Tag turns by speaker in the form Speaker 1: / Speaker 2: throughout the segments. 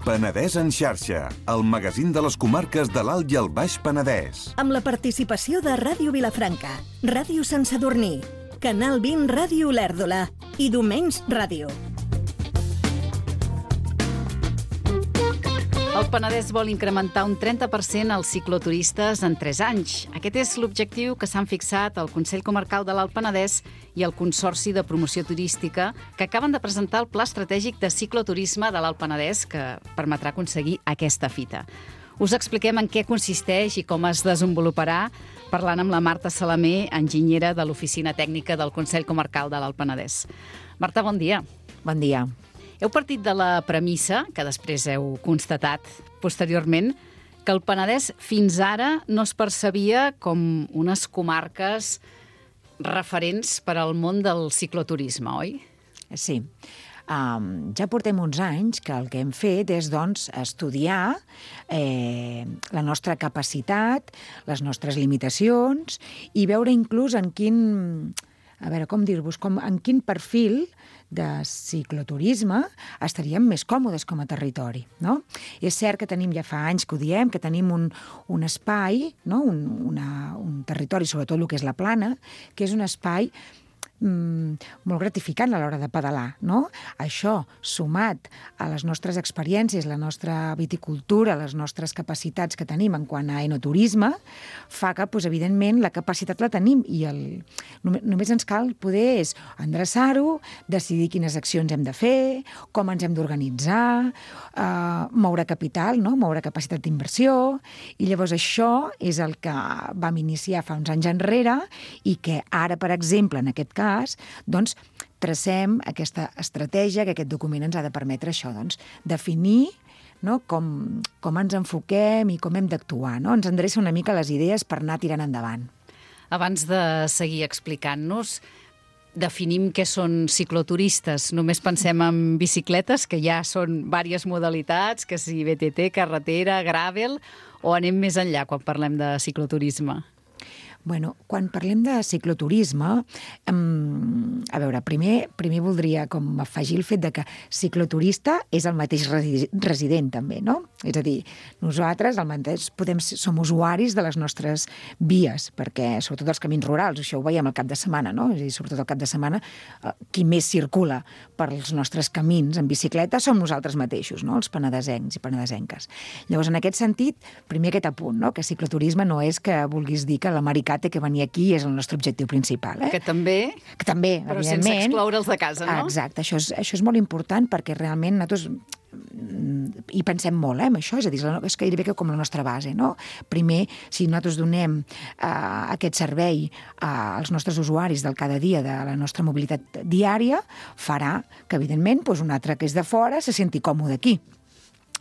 Speaker 1: Penedès en xarxa, el magazín de les comarques de l'Alt i el Baix Penedès.
Speaker 2: Amb la participació de Ràdio Vilafranca, Ràdio Sant Sadurní, Canal 20 Ràdio Olèrdola i Domenys Ràdio.
Speaker 3: El Penedès vol incrementar un 30% els cicloturistes en 3 anys. Aquest és l'objectiu que s'han fixat el Consell Comarcal de l'Alt Penedès i el Consorci de Promoció Turística, que acaben de presentar el Pla Estratègic de Cicloturisme de l'Alt Penedès, que permetrà aconseguir aquesta fita. Us expliquem en què consisteix i com es desenvoluparà, parlant amb la Marta Salamé, enginyera de l'Oficina Tècnica del Consell Comarcal de l'Alt Penedès. Marta, bon dia.
Speaker 4: Bon dia.
Speaker 3: Heu partit de la premissa, que després heu constatat posteriorment, que el Penedès fins ara no es percebia com unes comarques referents per al món del cicloturisme, oi?
Speaker 4: Sí. Ja portem uns anys que el que hem fet és, doncs, estudiar la nostra capacitat, les nostres limitacions i veure inclús en quin, en quin perfil de cicloturisme estaríem més còmodes com a territori, no? És cert que tenim, ja fa anys que ho diem, que tenim un espai, no? un territori, sobretot el que és la Plana, que és un espai molt gratificant a l'hora de pedalar, no? Això, sumat a les nostres experiències, la nostra viticultura, les nostres capacitats que tenim en quant a enoturisme, fa que, doncs, evidentment, la capacitat la tenim i només ens cal poder endreçar-ho, decidir quines accions hem de fer, com ens hem d'organitzar, moure capital, no? Moure capacitat d'inversió, i llavors això és el que vam iniciar fa uns anys enrere i que ara, per exemple, en aquest cas, doncs, tracem aquesta estratègia, que aquest document ens ha de permetre això, doncs, definir, no? com ens enfoquem i com hem d'actuar, no? Ens endreça una mica les idees per anar tirant endavant.
Speaker 3: Abans de seguir explicant-nos, definim què són cicloturistes. Només pensem en bicicletes, que ja són diverses modalitats, que si BTT, carretera, gravel, o anem més enllà quan parlem de cicloturisme?
Speaker 4: Bueno, quan parlem de cicloturisme, a veure, primer voldria com afegir el fet de que cicloturista és el mateix resident també, no? És a dir, nosaltres som usuaris de les nostres vies, perquè sobretot els camins rurals, això ho veiem al cap de setmana, no? És a dir, sobretot al cap de setmana, qui més circula per als nostres camins en bicicleta som nosaltres mateixos, no? Els penedesencs i penedesenques. Llavors, en aquest sentit, primer aquest apunt, no? Que cicloturisme no és que vulguis dir que l'americà té que venir aquí és el nostre objectiu principal.
Speaker 3: Que també, però sense excloure'ls de casa, no?
Speaker 4: Exacte, això és molt important perquè realment nosaltres hi pensem molt, en això, és a dir, és gairebé com la nostra base, no? Primer, si nosaltres donem aquest servei als nostres usuaris del cada dia, de la nostra mobilitat diària, farà que, evidentment, un altre que és de fora se senti còmode aquí.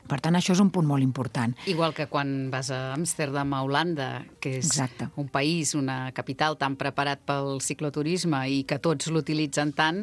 Speaker 4: Per tant, això és un punt molt important.
Speaker 3: Igual que quan vas a Amsterdam, a Holanda, que és un país, una capital tan preparat pel cicloturisme i que tots l'utilitzen tant,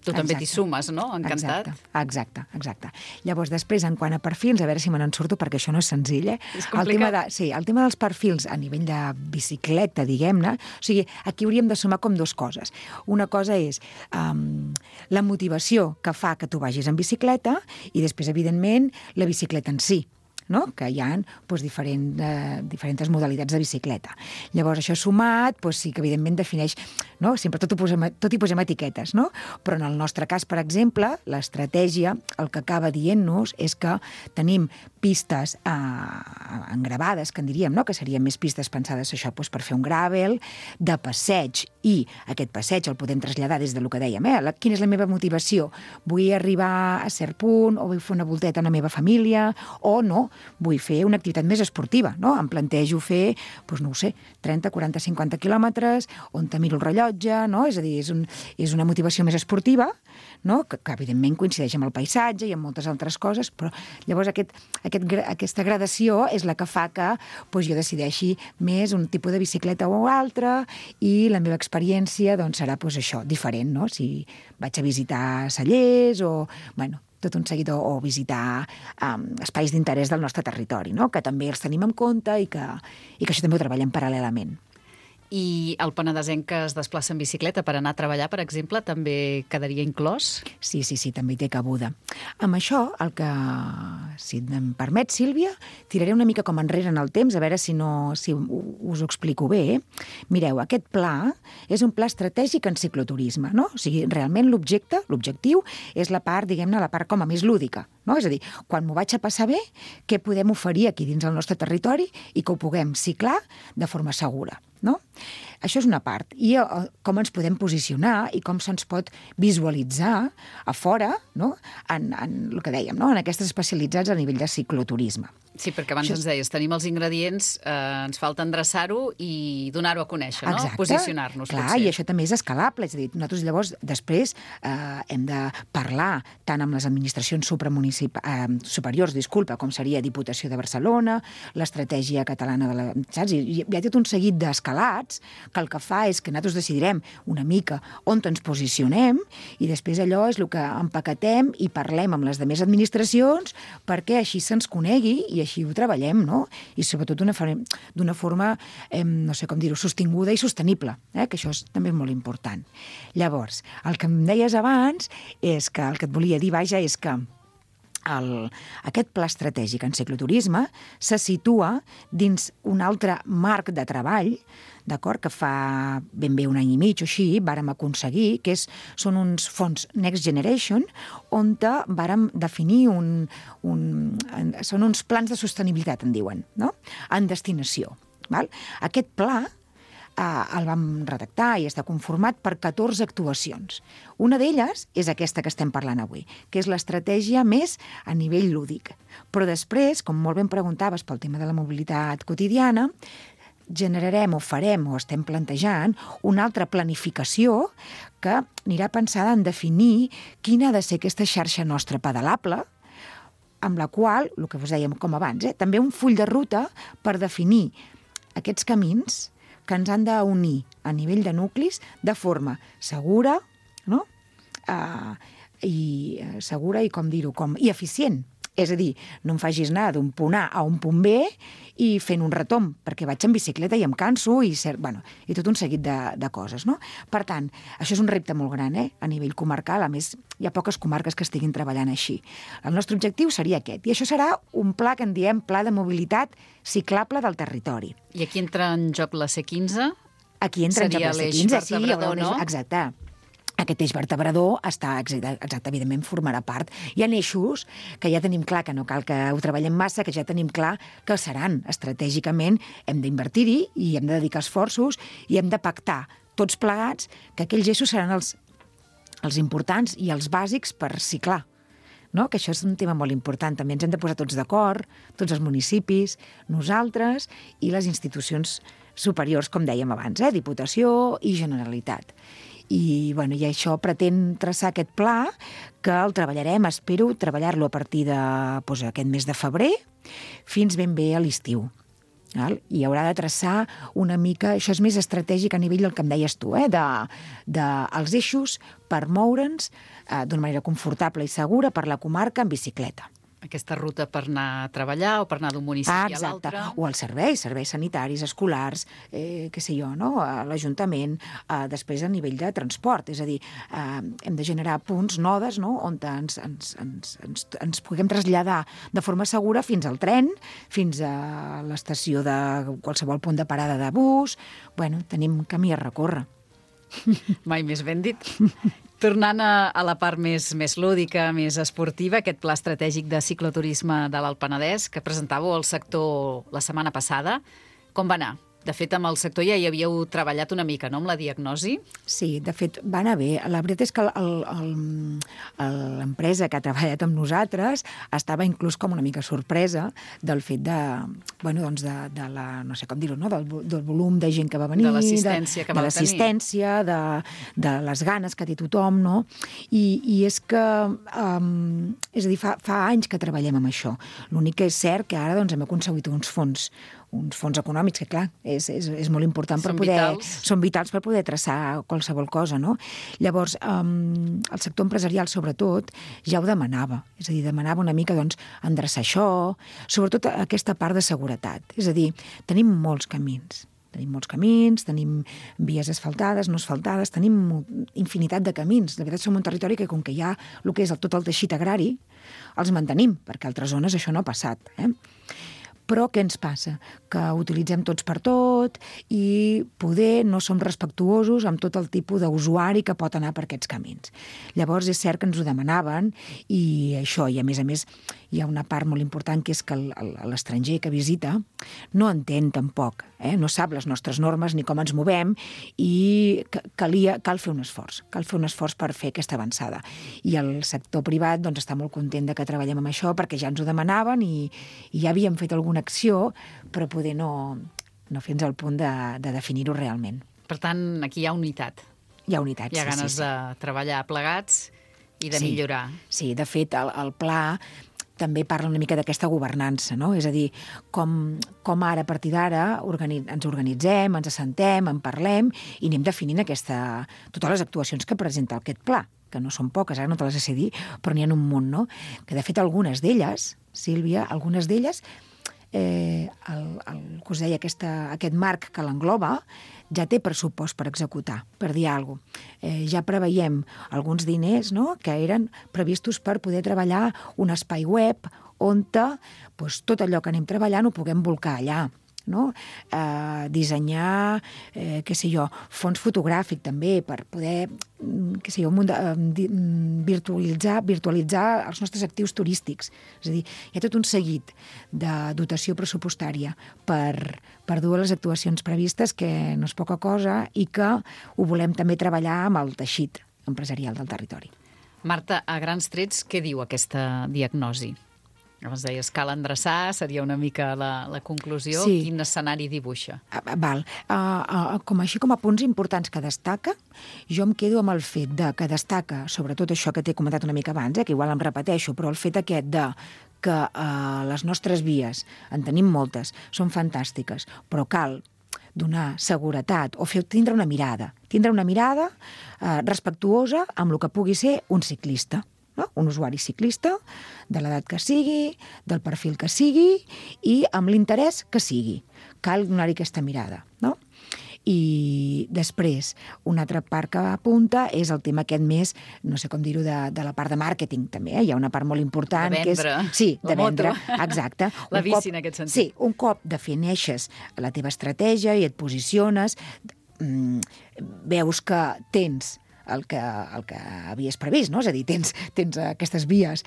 Speaker 3: tu també t'hi sumes, no? Encantat.
Speaker 4: Exacte. Llavors, després, en quant a perfils, a veure si me n'en surto, perquè això no és senzill,
Speaker 3: És complicat.
Speaker 4: El tema dels perfils a nivell de bicicleta, diguem-ne, o sigui, aquí hauríem de sumar com dues coses. Una cosa és la motivació que fa que tu vagis en bicicleta i després, evidentment, la bicicleta en si, no? Que hi ha diferents modalitats de bicicleta. Llavors, això sumat, sí que evidentment defineix, no? Sempre tot hi posem etiquetes, no? Però en el nostre cas, per exemple, l'estratègia, el que acaba dient-nos és que tenim pistes engravades, que en diríem, no? Que serien més pistes pensades això per fer un gravel, de passeig, i aquest passeig el podem traslladar des del que dèiem, quina és la meva motivació? Vull arribar a cert punt, o vull fer una volteta amb la meva família, o no, vull fer una activitat més esportiva, no? Em plantejo fer, 30, 40, 50 quilòmetres, on te miro el rellotge, no? És a dir, és una motivació més esportiva, no? Que evidentment coincideix amb el paisatge i amb moltes altres coses, però llavors aquesta gradació és la que fa que jo decideixi més un tipus de bicicleta o altre i la meva experiència serà això, diferent, no? Si vaig a visitar cellers o, tot un seguit, o visitar espais d'interès del nostre territori, no? Que també els tenim en compte i que això també ho treballem paral·lelament.
Speaker 3: I el penedesenc que es desplaça en bicicleta per anar a treballar, per exemple, també quedaria inclòs?
Speaker 4: Sí, també hi té cabuda. Amb això, si em permet, Sílvia, tiraré una mica com enrere en el temps, a veure si us ho explico bé. Mireu, aquest pla és un pla estratègic en cicloturisme, no? O sigui, realment l'objectiu és la part, diguem-ne, la part com a més lúdica, no? És a dir, quan m'ho vaig a passar bé, què podem oferir aquí dins el nostre territori i que ho puguem ciclar de forma segura, no? Això és una part. I com ens podem posicionar i com se'ns pot visualitzar a fora, no? En el que dèiem, no? En aquestes especialitats a nivell de cicloturisme.
Speaker 3: Sí, perquè abans ens deies, tenim els ingredients, ens falta endreçar-ho i donar-ho a conèixer, no?
Speaker 4: Exacte.
Speaker 3: Posicionar-nos,
Speaker 4: Clar,
Speaker 3: potser.
Speaker 4: I això també és escalable. És a dir, nosaltres llavors després hem de parlar tant amb les administracions superiors, com seria Diputació de Barcelona, l'Estratègia Catalana de la... Saps? I hi ha tot un seguit d'escalats que el que fa és que nosaltres decidirem una mica on ens posicionem i després allò és el que empaquetem i parlem amb les demés administracions perquè així se'ns conegui i així ho treballem, no? I sobretot d'una forma, no sé com dir-ho, sostinguda i sostenible, que això és també molt important. Llavors, el que em deies abans és que el que et volia dir, vaja, és que aquest pla estratègic en cicloturisme se situa dins un altre marc de treball, d'acord, que fa ben bé un any i mig o així vàrem aconseguir, que són uns fons Next Generation, on vàrem definir són uns plans de sostenibilitat, en diuen, no? En destinació. Val? Aquest pla el vam redactar i està conformat per 14 actuacions. Una d'elles és aquesta que estem parlant avui, que és l'estratègia més a nivell lúdic. Però després, com molt ben preguntaves pel tema de la mobilitat quotidiana, generarem o farem o estem plantejant una altra planificació que anirà pensada en definir quina ha de ser aquesta xarxa nostra pedalable, amb la qual, el que us dèiem com abans, també un full de ruta per definir aquests camins que ens han d'unir a nivell de nuclis de forma segura, no? Segura i, com dir-ho, i eficient. És a dir, no em facis anar d'un punt A a un punt B i fent un retomb, perquè vaig en bicicleta i em canso i tot un seguit de coses, no? Per tant, això és un repte molt gran, a nivell comarcal. A més, hi ha poques comarques que estiguin treballant així. El nostre objectiu seria aquest. I això serà un pla que en diem Pla de Mobilitat Ciclable del Territori.
Speaker 3: I aquí entra en joc la C15?
Speaker 4: Aquí entra en joc la C15,
Speaker 3: seria l'eix vertebrador, no?
Speaker 4: Exacte. Aquest eix vertebrador evidentment formarà part. Hi ha eixos que ja tenim clar que no cal que ho treballem massa, que ja tenim clar que seran estratègicament, hem d'invertir-hi i hem de dedicar esforços i hem de pactar tots plegats que aquells eixos seran els importants i els bàsics per ciclar. No? Que això és un tema molt important. També ens hem de posar tots d'acord, tots els municipis, nosaltres i les institucions superiors, com dèiem abans, Diputació i Generalitat. I això pretén traçar aquest pla que el treballarem, espero treballar-lo a partir d'aquest mes de febrer fins ben bé a l'estiu. I haurà de traçar una mica, això és més estratègic a nivell del que em deies tu, dels eixos per moure'ns d'una manera confortable i segura per la comarca en bicicleta.
Speaker 3: Aquesta ruta per anar a treballar o per anar d'un municipi a l'altre.
Speaker 4: O als serveis sanitaris, escolars, no? A l'Ajuntament, després a nivell de transport. És a dir, hem de generar punts, nodes, no? On ens puguem traslladar de forma segura fins al tren, fins a l'estació de qualsevol punt de parada de bus. Tenim camí a recórrer.
Speaker 3: Mai més ben dit. Tornant a la part més lúdica, més esportiva, aquest pla estratègic de cicloturisme de l'Alt Penedès que presentàveu al sector la setmana passada, com va anar? De fet, amb el sector ja hi havíeu treballat una mica, no?, amb la diagnosi.
Speaker 4: Sí, de fet, va anar bé. La veritat és que l'empresa que ha treballat amb nosaltres estava inclús com una mica sorpresa del fet de la, no sé com dir-ho, no?, del volum de gent que va venir,
Speaker 3: de l'assistència que va tenir.
Speaker 4: De l'assistència, de les ganes que té tothom, no? I és que, és a dir, fa anys que treballem amb això. L'únic que és cert que ara hem aconseguit uns fons econòmics, que clar, és molt important per poder... Són vitals per poder traçar qualsevol cosa, no? Llavors, el sector empresarial, sobretot, ja ho demanava. És a dir, demanava una mica, endreçar això, sobretot aquesta part de seguretat. És a dir, tenim molts camins, Tenim molts camins, tenim vies asfaltades, no asfaltades, tenim infinitat de camins. De veritat, som un territori que, com que hi ha el que és tot el teixit agrari, els mantenim, perquè a altres zones això no ha passat. Però què ens passa? Que utilitzem tots per tot i poder no som respectuosos amb tot el tipus d'usuari que pot anar per aquests camins. Llavors és cert que ens ho demanaven i això, i a més, hi ha una part molt important que és que l'estranger que visita no entén tampoc, no sap les nostres normes ni com ens movem i cal fer un esforç per fer aquesta avançada. I el sector privat doncs, està molt content de que treballem amb això perquè ja ens ho demanaven i ja havíem fet alguna acció, però poder no fins al punt de definir-ho realment.
Speaker 3: Per tant, aquí hi ha unitat.
Speaker 4: Hi ha unitat,
Speaker 3: sí. Hi ha ganes de treballar plegats i de millorar. Sí,
Speaker 4: de fet, el pla també parla una mica d'aquesta governança, no? És a dir, com ara, a partir d'ara, ens organitzem, ens assentem, en parlem i anem definint totes les actuacions que presenta aquest pla, que no són poques, ara no te les sé dir, però n'hi ha un munt, no? Que, de fet, algunes d'elles, Sílvia, el que us deia, aquest marc que l'engloba, ja té pressupost per executar, per dir alguna cosa. Ja preveiem alguns diners, no?, que eren previstos per poder treballar un espai web on tot allò que anem treballant ho puguem volcar allà. No? Dissenyar, fons fotogràfic també, per poder virtualitzar els nostres actius turístics. És a dir, hi ha tot un seguit de dotació pressupostària per dur a les actuacions previstes, que no és poca cosa i que ho volem també treballar amb el teixit empresarial del territori.
Speaker 3: Marta, a grans trets, què diu aquesta diagnosi? Abans deies, cal endreçar, seria una mica la conclusió. Sí. Quin escenari dibuixa?
Speaker 4: Val. Com a punts importants que destaca, jo em quedo amb el fet que destaca, sobretot això que t'he comentat una mica abans, que igual em repeteixo, però el fet aquest que les nostres vies, en tenim moltes, són fantàstiques, però cal donar seguretat o tindre una mirada respectuosa amb el que pugui ser un ciclista. No? Un usuari ciclista, de l'edat que sigui, del perfil que sigui i amb l'interès que sigui. Cal donar-hi aquesta mirada, no? I després, una altra part que apunta és el tema aquest més, no sé com dir-ho, de la part de màrqueting, també. Hi ha una part molt important.
Speaker 3: De vendre.
Speaker 4: De vendre, exacte.
Speaker 3: La bici, en aquest sentit.
Speaker 4: Sí, un cop defineixes la teva estratègia i et posiciones, veus que tens el que havies previst, no? És a dir, tens aquestes vies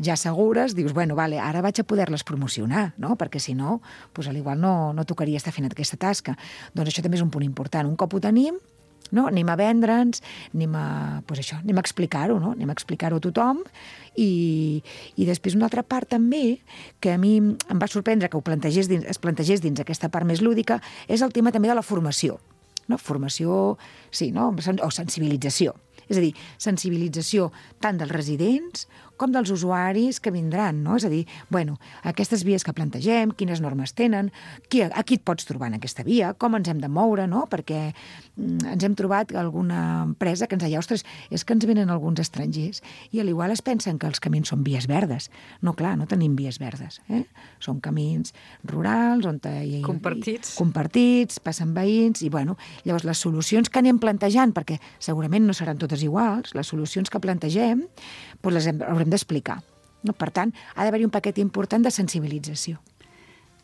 Speaker 4: ja segures, dius, vale, ara vaig a poder-les promocionar, no? Perquè si no, doncs igual no tocaria estar fent aquesta tasca. Doncs això també és un punt important. Un cop ho tenim, no? Anem a vendre'ns, anem a explicar-ho, no? Anem a explicar-ho a tothom i després una altra part també que a mi em va sorprendre que es plantegés dins aquesta part més lúdica és el tema també de la formació. No? Formació, sí, no? O sensibilització. És a dir, sensibilització tant dels residents com dels usuaris que vindran, no? És a dir, aquestes vies que plantegem, quines normes tenen, a qui et pots trobar en aquesta via, com ens hem de moure, no? Perquè ens hem trobat alguna empresa que ens deia, ostres, és que ens venen alguns estrangers i a l'igual es pensen que els camins són vies verdes. No, clar, no tenim vies verdes. Són camins rurals, on compartits, passen veïns, i llavors les solucions que anem plantejant, perquè segurament no seran totes iguals, les solucions que plantegem, doncs les haurem d'explicar. Per tant, ha d'haver-hi un paquet important de sensibilització.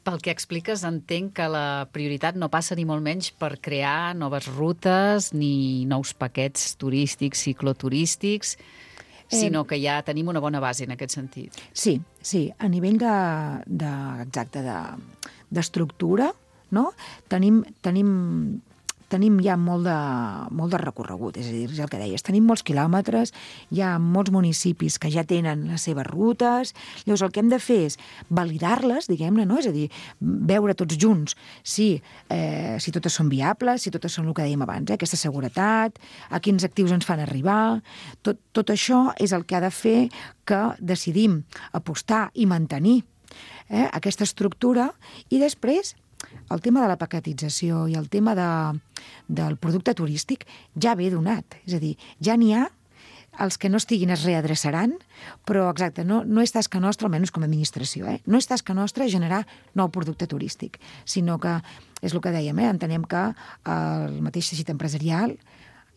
Speaker 3: Pel que expliques, entenc que la prioritat no passa ni molt menys per crear noves rutes ni nous paquets turístics, cicloturístics, sinó que ja tenim una bona base en aquest sentit.
Speaker 4: Sí. A nivell d'estructura, no? Tenim ja molt de recorregut, és a dir, és el que deies, tenim molts quilòmetres, hi ha molts municipis que ja tenen les seves rutes, llavors el que hem de fer és validar-les, diguem-ne, no? És a dir, veure tots junts si totes són viables, si totes són el que dèiem abans, aquesta seguretat, a quins actius ens fan arribar, tot això és el que ha de fer que decidim apostar i mantenir aquesta estructura i després el tema de la paquetització i el tema del producte turístic ja ve donat. És a dir, ja n'hi ha els que no estiguin es readreçaran, però exacte, no és tasca nostra, almenys com a administració, no és tasca nostra generar nou producte turístic, sinó que, és el que dèiem, entenem que el mateix teixit empresarial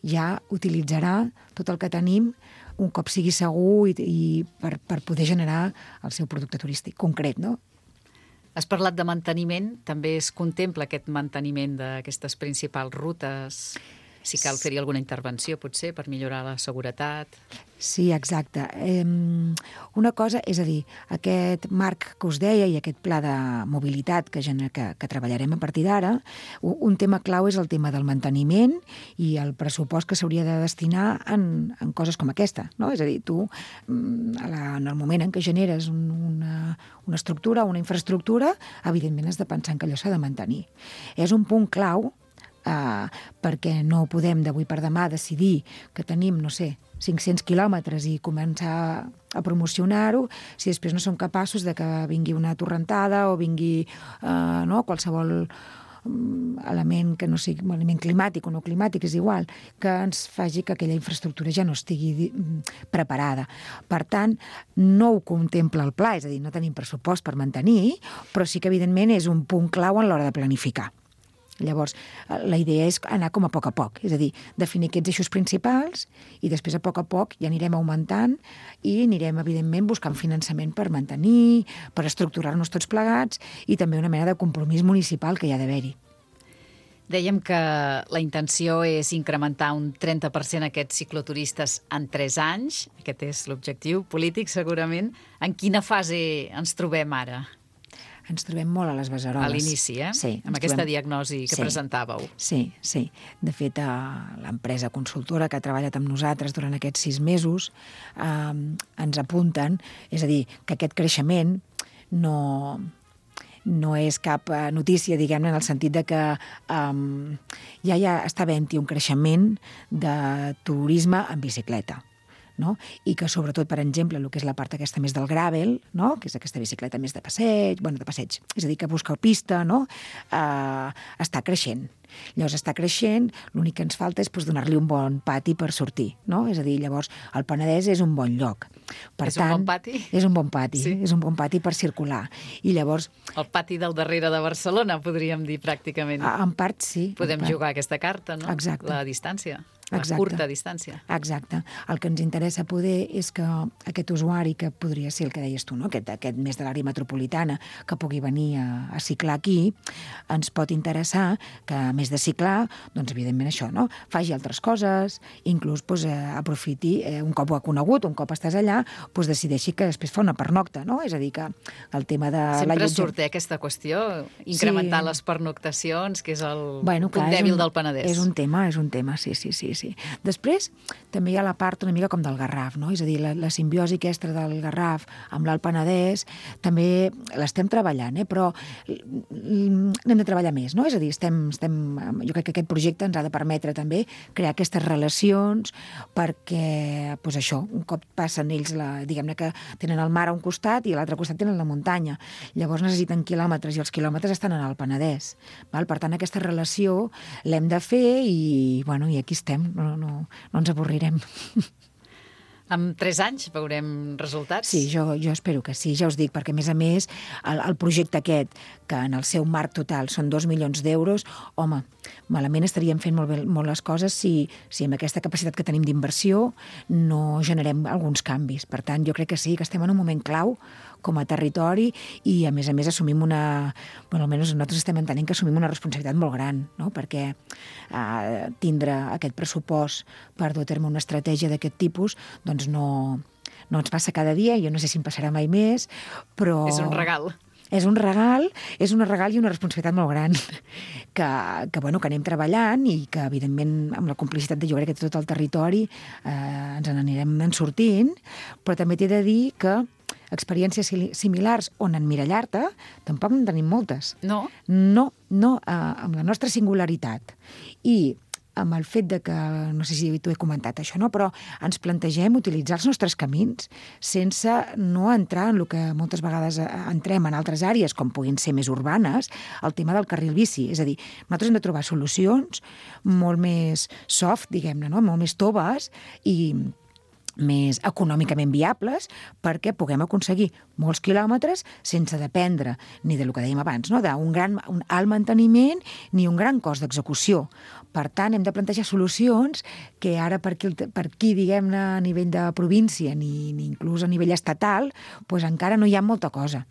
Speaker 4: ja utilitzarà tot el que tenim un cop sigui segur i per poder generar el seu producte turístic concret, no?
Speaker 3: Has parlat de manteniment, també es contempla aquest manteniment d'aquestes principals rutes? Si cal fer-hi alguna intervenció, potser, per millorar la seguretat?
Speaker 4: Sí, exacte. Una cosa, és a dir, aquest marc que us deia i aquest pla de mobilitat que treballarem a partir d'ara, un tema clau és el tema del manteniment i el pressupost que s'hauria de destinar en coses com aquesta, no? És a dir, tu, en el moment en què generes una estructura, una infraestructura, evidentment has de pensar que allò s'ha de mantenir. És un punt clau perquè no podem d'avui per demà decidir que tenim, no sé, 500 quilòmetres i començar a promocionar-ho si després no som capaços de que vingui una torrentada o vingui qualsevol element que no sigui un element climàtic o no climàtic, és igual, que ens faci que aquella infraestructura ja no estigui preparada. Per tant, no ho contempla el pla, és a dir, no tenim pressupost per mantenir, però sí que evidentment és un punt clau en l'hora de planificar. Llavors, la idea és anar com a poc, és a dir, definir aquests eixos principals i després a poc ja anirem augmentant i anirem, evidentment, buscant finançament per mantenir, per estructurar-nos tots plegats i també una mena de compromís municipal que hi ha d'haver-hi.
Speaker 3: Dèiem que la intenció és incrementar un 30% aquests cicloturistes en 3 anys. Aquest és l'objectiu polític, segurament. En quina fase ens trobem ara?
Speaker 4: Ens trobem molt a les beceroles.
Speaker 3: A l'inici,
Speaker 4: Sí.
Speaker 3: Amb aquesta diagnosi que presentàveu.
Speaker 4: Sí. De fet, l'empresa consultora que ha treballat amb nosaltres durant aquests 6 mesos ens apunten, és a dir, que aquest creixement no és cap notícia, diguem-ne, en el sentit de que ja està havent-hi un creixement de turisme en bicicleta. No? I que sobretot, per exemple, el que és la part aquesta més del gravel, no? Que és aquesta bicicleta més de passeig, és a dir, que busca pista, no? Està creixent. Llavors està creixent, l'únic que ens falta és donar-li un bon pati per sortir, no? És a dir, llavors el Penedès és un bon lloc.
Speaker 3: És un bon pati?
Speaker 4: És un bon pati, sí. És un bon pati per circular. I llavors...
Speaker 3: El pati del darrere de Barcelona, podríem dir, pràcticament.
Speaker 4: En part, sí.
Speaker 3: Podem jugar aquesta carta, no?
Speaker 4: Exacte.
Speaker 3: La distància. La curta distància.
Speaker 4: Exacte. El que ens interessa poder és que aquest usuari, que podria ser el que deies tu, no? Aquest més de l'àrea metropolitana, que pugui venir a ciclar aquí, ens pot interessar que, a més de ciclar, doncs, evidentment, això, no? Faci altres coses, inclús aprofiti, un cop ho ha conegut, un cop estàs allà, decideixi que després fa una pernocta, no? És a dir, que el tema de...
Speaker 3: Sempre surt aquesta qüestió, incrementar les pernoctacions, que és el punt dèbil del Penedès.
Speaker 4: És un tema, sí. Després, també hi ha la part una mica com del Garraf, no? És a dir, la simbiosi aquesta del Garraf amb l'Alt Penedès també l'estem treballant, però n'hem de treballar més, no? És a dir, jo crec que aquest projecte ens ha de permetre també crear aquestes relacions perquè, doncs això, un cop passen ells, diguem-ne que tenen el mar a un costat i a l'altre costat tenen la muntanya. Llavors necessiten quilòmetres i els quilòmetres estan en el Penedès. Per tant, aquesta relació l'hem de fer i aquí estem. No ens avorrirem.
Speaker 3: En 3 anys veurem resultats?
Speaker 4: Sí, jo espero que sí, ja us dic, perquè a més, el projecte aquest, que en el seu marc total són 2 milions d'euros, home, malament estaríem fent molt les coses si amb aquesta capacitat que tenim d'inversió no generem alguns canvis. Per tant, jo crec que sí, que estem en un moment clau com a territori i, a més, assumim almenys nosaltres estem entenent que assumim una responsabilitat molt gran, no? Perquè tindre aquest pressupost per dur a terme una estratègia d'aquest tipus, doncs no ens passa cada dia, jo no sé si em passarà mai més, però...
Speaker 3: És un regal.
Speaker 4: És un regal i una responsabilitat molt gran que anem treballant i que, evidentment, amb la complicitat de, jo crec, que tot el territori ens n'anirem sortint, però també t'he de dir que experiències similars on emmirallar-te tampoc en tenim moltes.
Speaker 3: No?
Speaker 4: No, amb la nostra singularitat. I amb el fet de que, no sé si t'ho he comentat això, no? Però ens plantegem utilitzar els nostres camins sense no entrar en el que moltes vegades entrem en altres àrees, com puguin ser més urbanes, el tema del carril bici. És a dir, nosaltres hem de trobar solucions molt més soft, diguem-ne, no? Molt més toves i més econòmicament viables perquè puguem aconseguir molts quilòmetres sense dependre ni del que dèiem abans, no? Un alt manteniment ni un gran cost d'execució. Per tant, hem de plantejar solucions que ara per aquí diguem-ne, a nivell de província ni inclús a nivell estatal, doncs encara no hi ha molta cosa.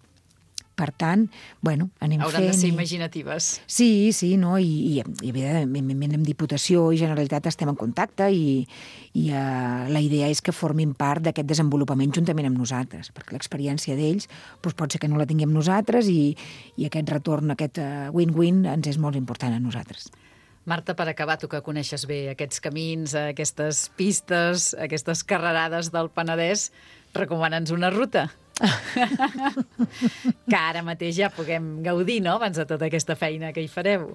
Speaker 4: Per tant, bueno, anem fent...
Speaker 3: Hauran de ser imaginatives.
Speaker 4: Sí, no? I evidentment amb Diputació i Generalitat estem en contacte i la idea és que formin part d'aquest desenvolupament juntament amb nosaltres, perquè l'experiència d'ells doncs pot ser que no la tinguem nosaltres i aquest retorn, aquest win-win ens és molt important a nosaltres.
Speaker 3: Marta, per acabar, tu que coneixes bé aquests camins, aquestes pistes, aquestes carrerades del Penedès, recomana'ns una ruta. Que ara mateix ja puguem gaudir, no?, abans de tota aquesta feina que hi fareu.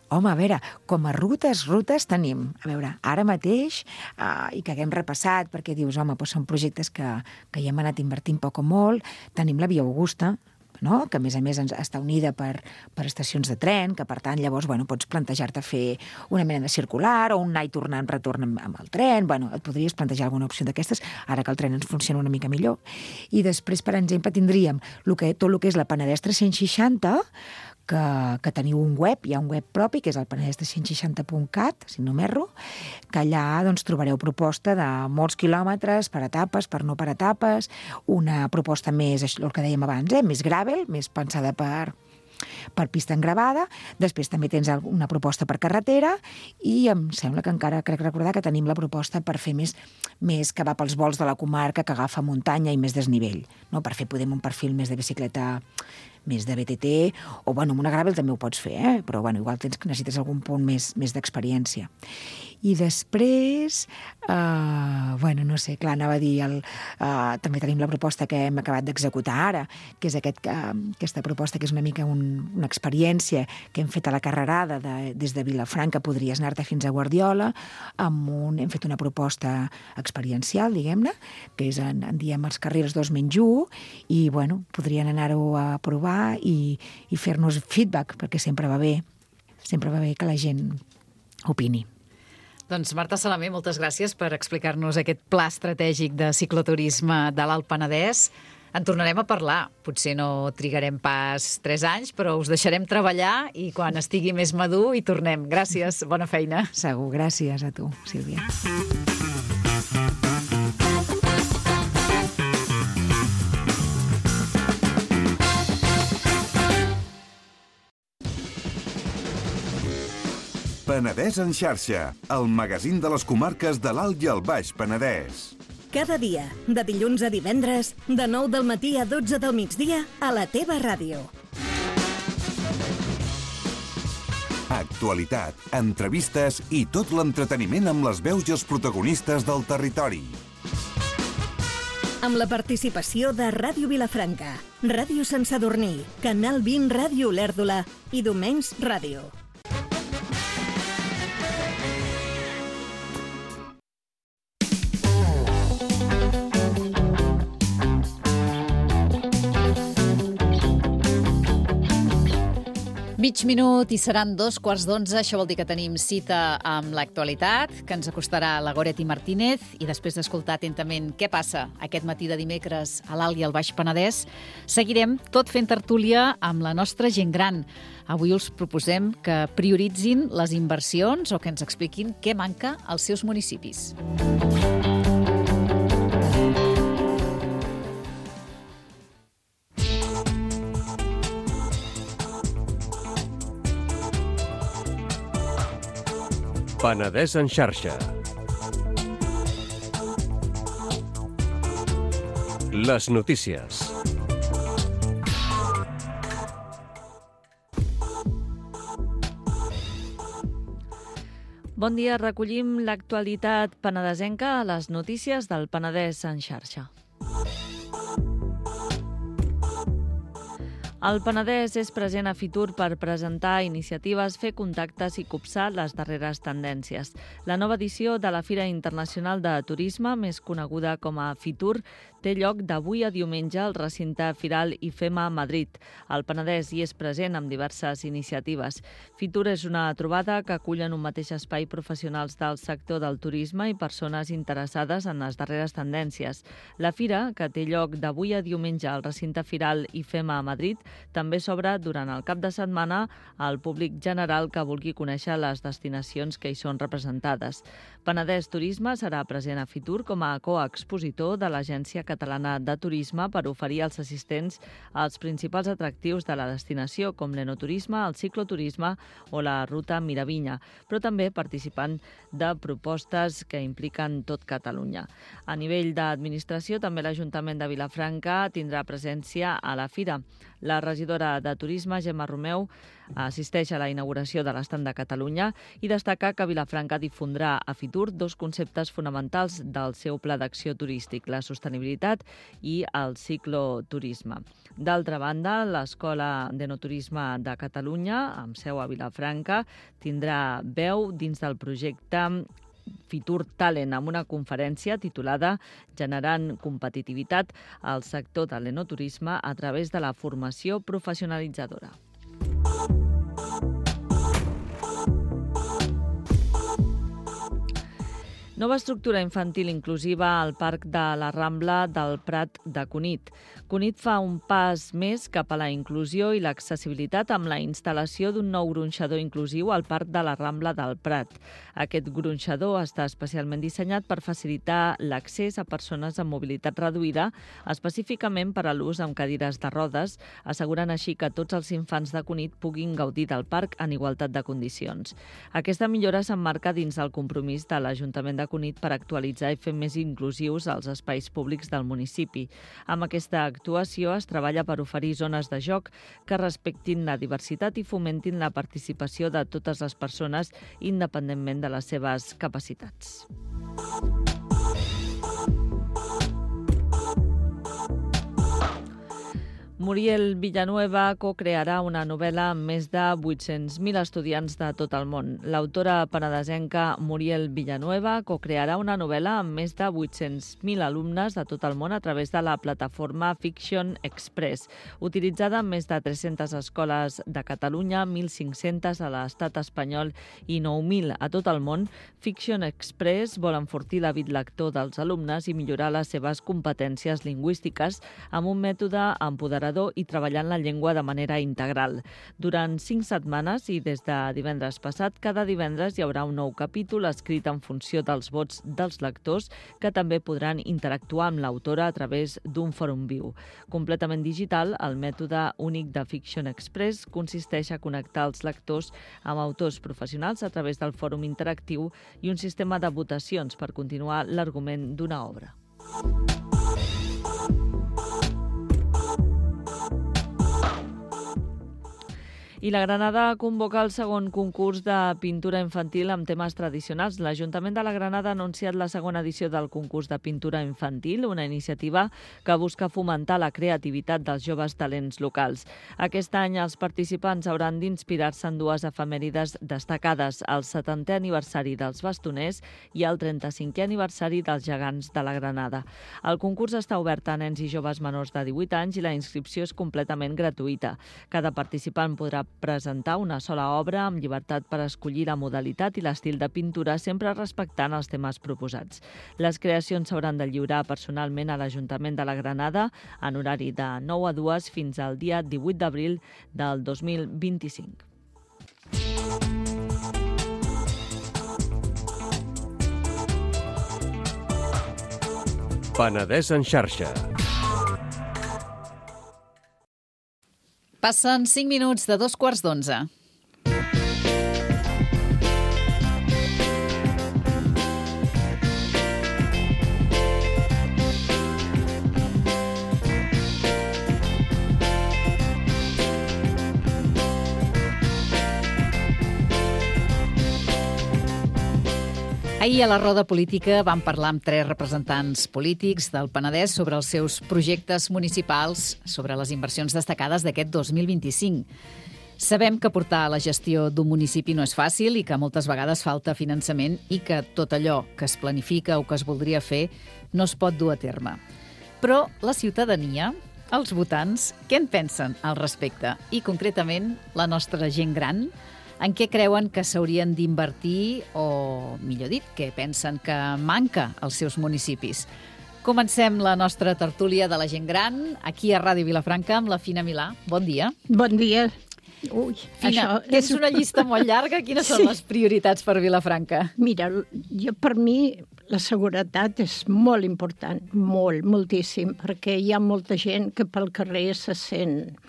Speaker 4: Home, a veure, com a rutes tenim. A veure, ara mateix, i que haguem repassat, perquè dius, home, doncs són projectes que hi hem anat invertint poc o molt, tenim la Via Augusta, no? Que a més està unida per estacions de tren, que per tant llavors pots plantejar-te fer una mena de circular o un anar i retorn amb el tren, et podries plantejar alguna opció d'aquestes, ara que el tren ens funciona una mica millor. I després, per exemple, tindríem tot el que és la Penedès 360, que teniu un web, hi ha un web propi, que és el penedès360.cat, si no m'erro, que allà trobareu proposta de molts quilòmetres, per etapes, per no per etapes, una proposta més, el que dèiem abans, més gravel, més pensada per pista engravada. Després també tens una proposta per carretera i em sembla que encara crec recordar que tenim la proposta per fer més que va pels volts de la comarca, que agafa muntanya i més desnivell, no? Per fer un perfil més de bicicleta, més de BTT, o amb una gravel també ho pots fer, però igual necessites algun punt més d'experiència. I després, no sé, clar, anava a dir, també tenim la proposta que hem acabat d'executar ara, que és aquesta proposta que és una mica una experiència que hem fet a la carrerada des de Vilafranca, podries anar-te fins a Guardiola, hem fet una proposta experiencial, diguem-ne, que és, en diem, els carrils 2-1, i, podrien anar-ho a provar i fer-nos feedback, perquè sempre va bé que la gent opini.
Speaker 3: Doncs Marta Salamé, moltes gràcies per explicar-nos aquest pla estratègic de cicloturisme de l'Alt Penedès. En tornarem a parlar. Potser no trigarem pas 3 anys, però us deixarem treballar i quan estigui més madur hi tornem. Gràcies, bona feina.
Speaker 4: Segur, gràcies a tu, Sílvia.
Speaker 1: Penedès en xarxa, el magazín de les comarques de l'Alt i el Baix Penedès.
Speaker 2: Cada dia, de dilluns a divendres, de 9 del matí a 12 del migdia, a la teva ràdio.
Speaker 1: Actualitat, entrevistes i tot l'entreteniment amb les veus i els protagonistes del territori.
Speaker 2: Amb la participació de Ràdio Vilafranca, Ràdio Sant Sadurní, Canal 20 Ràdio Olèrdola i Domenys Ràdio.
Speaker 3: Mig minut i seran 11:15. Això vol dir que tenim cita amb l'actualitat, que ens acostarà la Goretti Martínez, i després d'escoltar atentament què passa aquest matí de dimecres a l'Alt i al Baix Penedès, seguirem tot fent tertúlia amb la nostra gent gran. Avui us proposem que prioritzin les inversions o que ens expliquin què manca als seus municipis.
Speaker 5: Penedès en xarxa. Les notícies.
Speaker 6: Bon dia, recollim l'actualitat penedesenca a les notícies del Penedès en xarxa. El Penedès és present a Fitur per presentar iniciatives, fer contactes i copsar les darreres tendències. La nova edició de la Fira Internacional de Turisme, més coneguda com a Fitur, té lloc d'avui a diumenge al recinte Firal IFEMA Madrid. El Penedès hi és present amb diverses iniciatives. Fitur és una trobada que acull en un mateix espai professionals del sector del turisme i persones interessades en les darreres tendències. La fira, que té lloc d'avui a diumenge al recinte Firal IFEMA Madrid, també s'obre durant el cap de setmana al públic general que vulgui conèixer les destinacions que hi són representades. Penedès Turisme serà present a Fitur com a coexpositor de l'Agència Catalana de Turisme per oferir als assistents els principals atractius de la destinació, com l'enoturisme, el cicloturisme o la ruta Miravinya, però també participant de propostes que impliquen tot Catalunya. A nivell d'administració, també l'Ajuntament de Vilafranca tindrà presència a la fira. La regidora de Turisme, Gemma Romeu, assisteix a la inauguració de l'estand de Catalunya i destaca que Vilafranca difondrà a Fitur dos conceptes fonamentals del seu pla d'acció turístic, la sostenibilitat i el cicloturisme. D'altra banda, l'Escola d'Enoturisme de Catalunya, amb seu a Vilafranca, tindrà veu dins del projecte Fitur Talent, amb una conferència titulada Generant competitivitat al sector de l'enoturisme a través de la formació professionalitzadora. Nova estructura infantil inclusiva al Parc de la Rambla del Prat de Cunit. Cunit fa un pas més cap a la inclusió i l'accessibilitat amb la instal·lació d'un nou gronxador inclusiu al Parc de la Rambla del Prat. Aquest gronxador està especialment dissenyat per facilitar l'accés a persones amb mobilitat reduïda, específicament per a l'ús amb cadires de rodes, assegurant així que tots els infants de Cunit puguin gaudir del parc en igualtat de condicions. Aquesta millora s'emmarca dins el compromís de l'Ajuntament de Cunit per actualitzar i fer més inclusius els espais públics del municipi. Amb aquesta actuació es treballa per oferir zones de joc que respectin la diversitat i fomentin la participació de totes les persones independentment de les seves capacitats. Muriel Villanueva co-crearà una novel·la amb més de 800.000 estudiants de tot el món. L'autora penedesenca Muriel Villanueva co-crearà una novel·la amb més de 800.000 alumnes de tot el món a través de la plataforma Fiction Express, utilitzada en més de 300 escoles de Catalunya, 1.500 a l'estat espanyol i 9.000 a tot el món. Fiction Express vol enfortir l'hàbit lector dels alumnes i millorar les seves competències lingüístiques amb un mètode empoderador i treballant la llengua de manera integral. Durant 5 setmanes i des de divendres passat, cada divendres hi haurà un nou capítol escrit en funció dels vots dels lectors que també podran interactuar amb l'autora a través d'un fòrum viu. Completament digital, el mètode únic de Fiction Express consisteix a connectar els lectors amb autors professionals a través del fòrum interactiu i un sistema de votacions per continuar l'argument d'una obra. I la Granada convoca el segon concurs de pintura infantil amb temes tradicionals. L'Ajuntament de la Granada ha anunciat la segona edició del concurs de pintura infantil, una iniciativa que busca fomentar la creativitat dels joves talents locals. Aquest any els participants hauran d'inspirar-se en dues efemèrides destacades, el 70è aniversari dels bastoners i el 35è aniversari dels gegants de la Granada. El concurs està obert a nens i joves menors de 18 anys i la inscripció és completament gratuïta. Cada participant podrà presentar una sola obra amb llibertat per escollir la modalitat i l'estil de pintura, sempre respectant els temes proposats. Les creacions s'hauran de lliurar personalment a l'Ajuntament de la Granada en horari de 9 a 2 fins al dia 18 d'abril del 2025.
Speaker 5: Penedès en xarxa.
Speaker 3: Passen 5 minuts de 2:15. Ahir a la roda política vam parlar amb 3 representants polítics del Penedès sobre els seus projectes municipals, sobre les inversions destacades d'aquest 2025. Sabem que portar la gestió d'un municipi no és fàcil i que moltes vegades falta finançament i que tot allò que es planifica o que es voldria fer no es pot dur a terme. Però la ciutadania, els votants, què en pensen al respecte? I concretament la nostra gent gran, en què creuen que s'haurien d'invertir o, millor dit, què pensen que manca als seus municipis? Comencem la nostra tertúlia de la gent gran aquí a Ràdio Vilafranca amb la Fina Milà. Bon dia.
Speaker 7: Bon dia. Ui,
Speaker 3: Fina, és una llista molt llarga. Quines són les prioritats per Vilafranca?
Speaker 7: Mira, per mi la seguretat és molt important, moltíssim, perquè hi ha molta gent que pel carrer se sent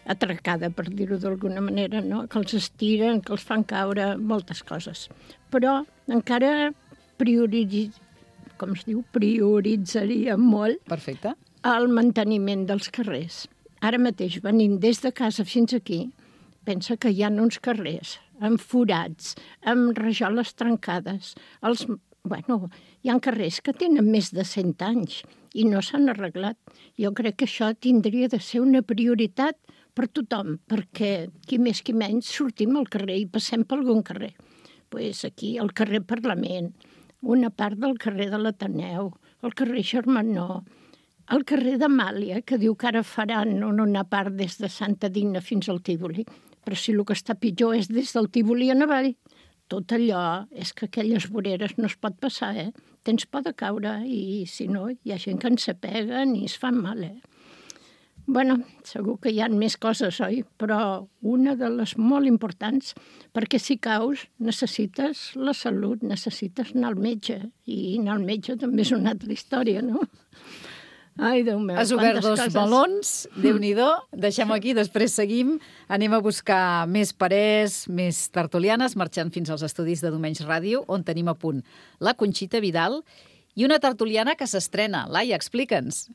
Speaker 7: atracada, per dir-ho d'alguna manera, no? Que els estiren, que els fan caure, moltes coses. Però encara prioritzaria molt
Speaker 3: Perfecte.
Speaker 7: el manteniment dels carrers. Ara mateix, venint des de casa fins aquí, pensa que hi ha uns carrers amb forats, amb rajoles trencades. Hi ha carrers que tenen més de 100 anys i no s'han arreglat. Jo crec que això tindria de ser una prioritat per tothom, perquè qui més qui menys sortim al carrer i passem per algun carrer. Aquí, al carrer Parlament, una part del carrer de l'Ateneu, el carrer Germanó, el carrer d'Amàlia, que diu que ara faran una part des de Santa Digna fins al Tívoli, però si el que està pitjor és des del Tívoli en avall, tot allò és que aquelles voreres no es pot passar, Tens por de caure i, si no, hi ha gent que en s'apeguen i es fan mal, segur que hi ha més coses, oi? Però una de les molt importants, perquè si caus necessites la salut, necessites anar al metge, i anar al metge també és una altra història, no? Ai, Déu meu,
Speaker 3: Has obert 2 melons, Déu-n'hi-do. Deixem-ho aquí, després seguim. Anem a buscar més parers, més tertulianes, marxant fins als estudis de Domenys Ràdio, on tenim a punt la Conxita Vidal i una tertuliana que s'estrena. Laia, explica'ns.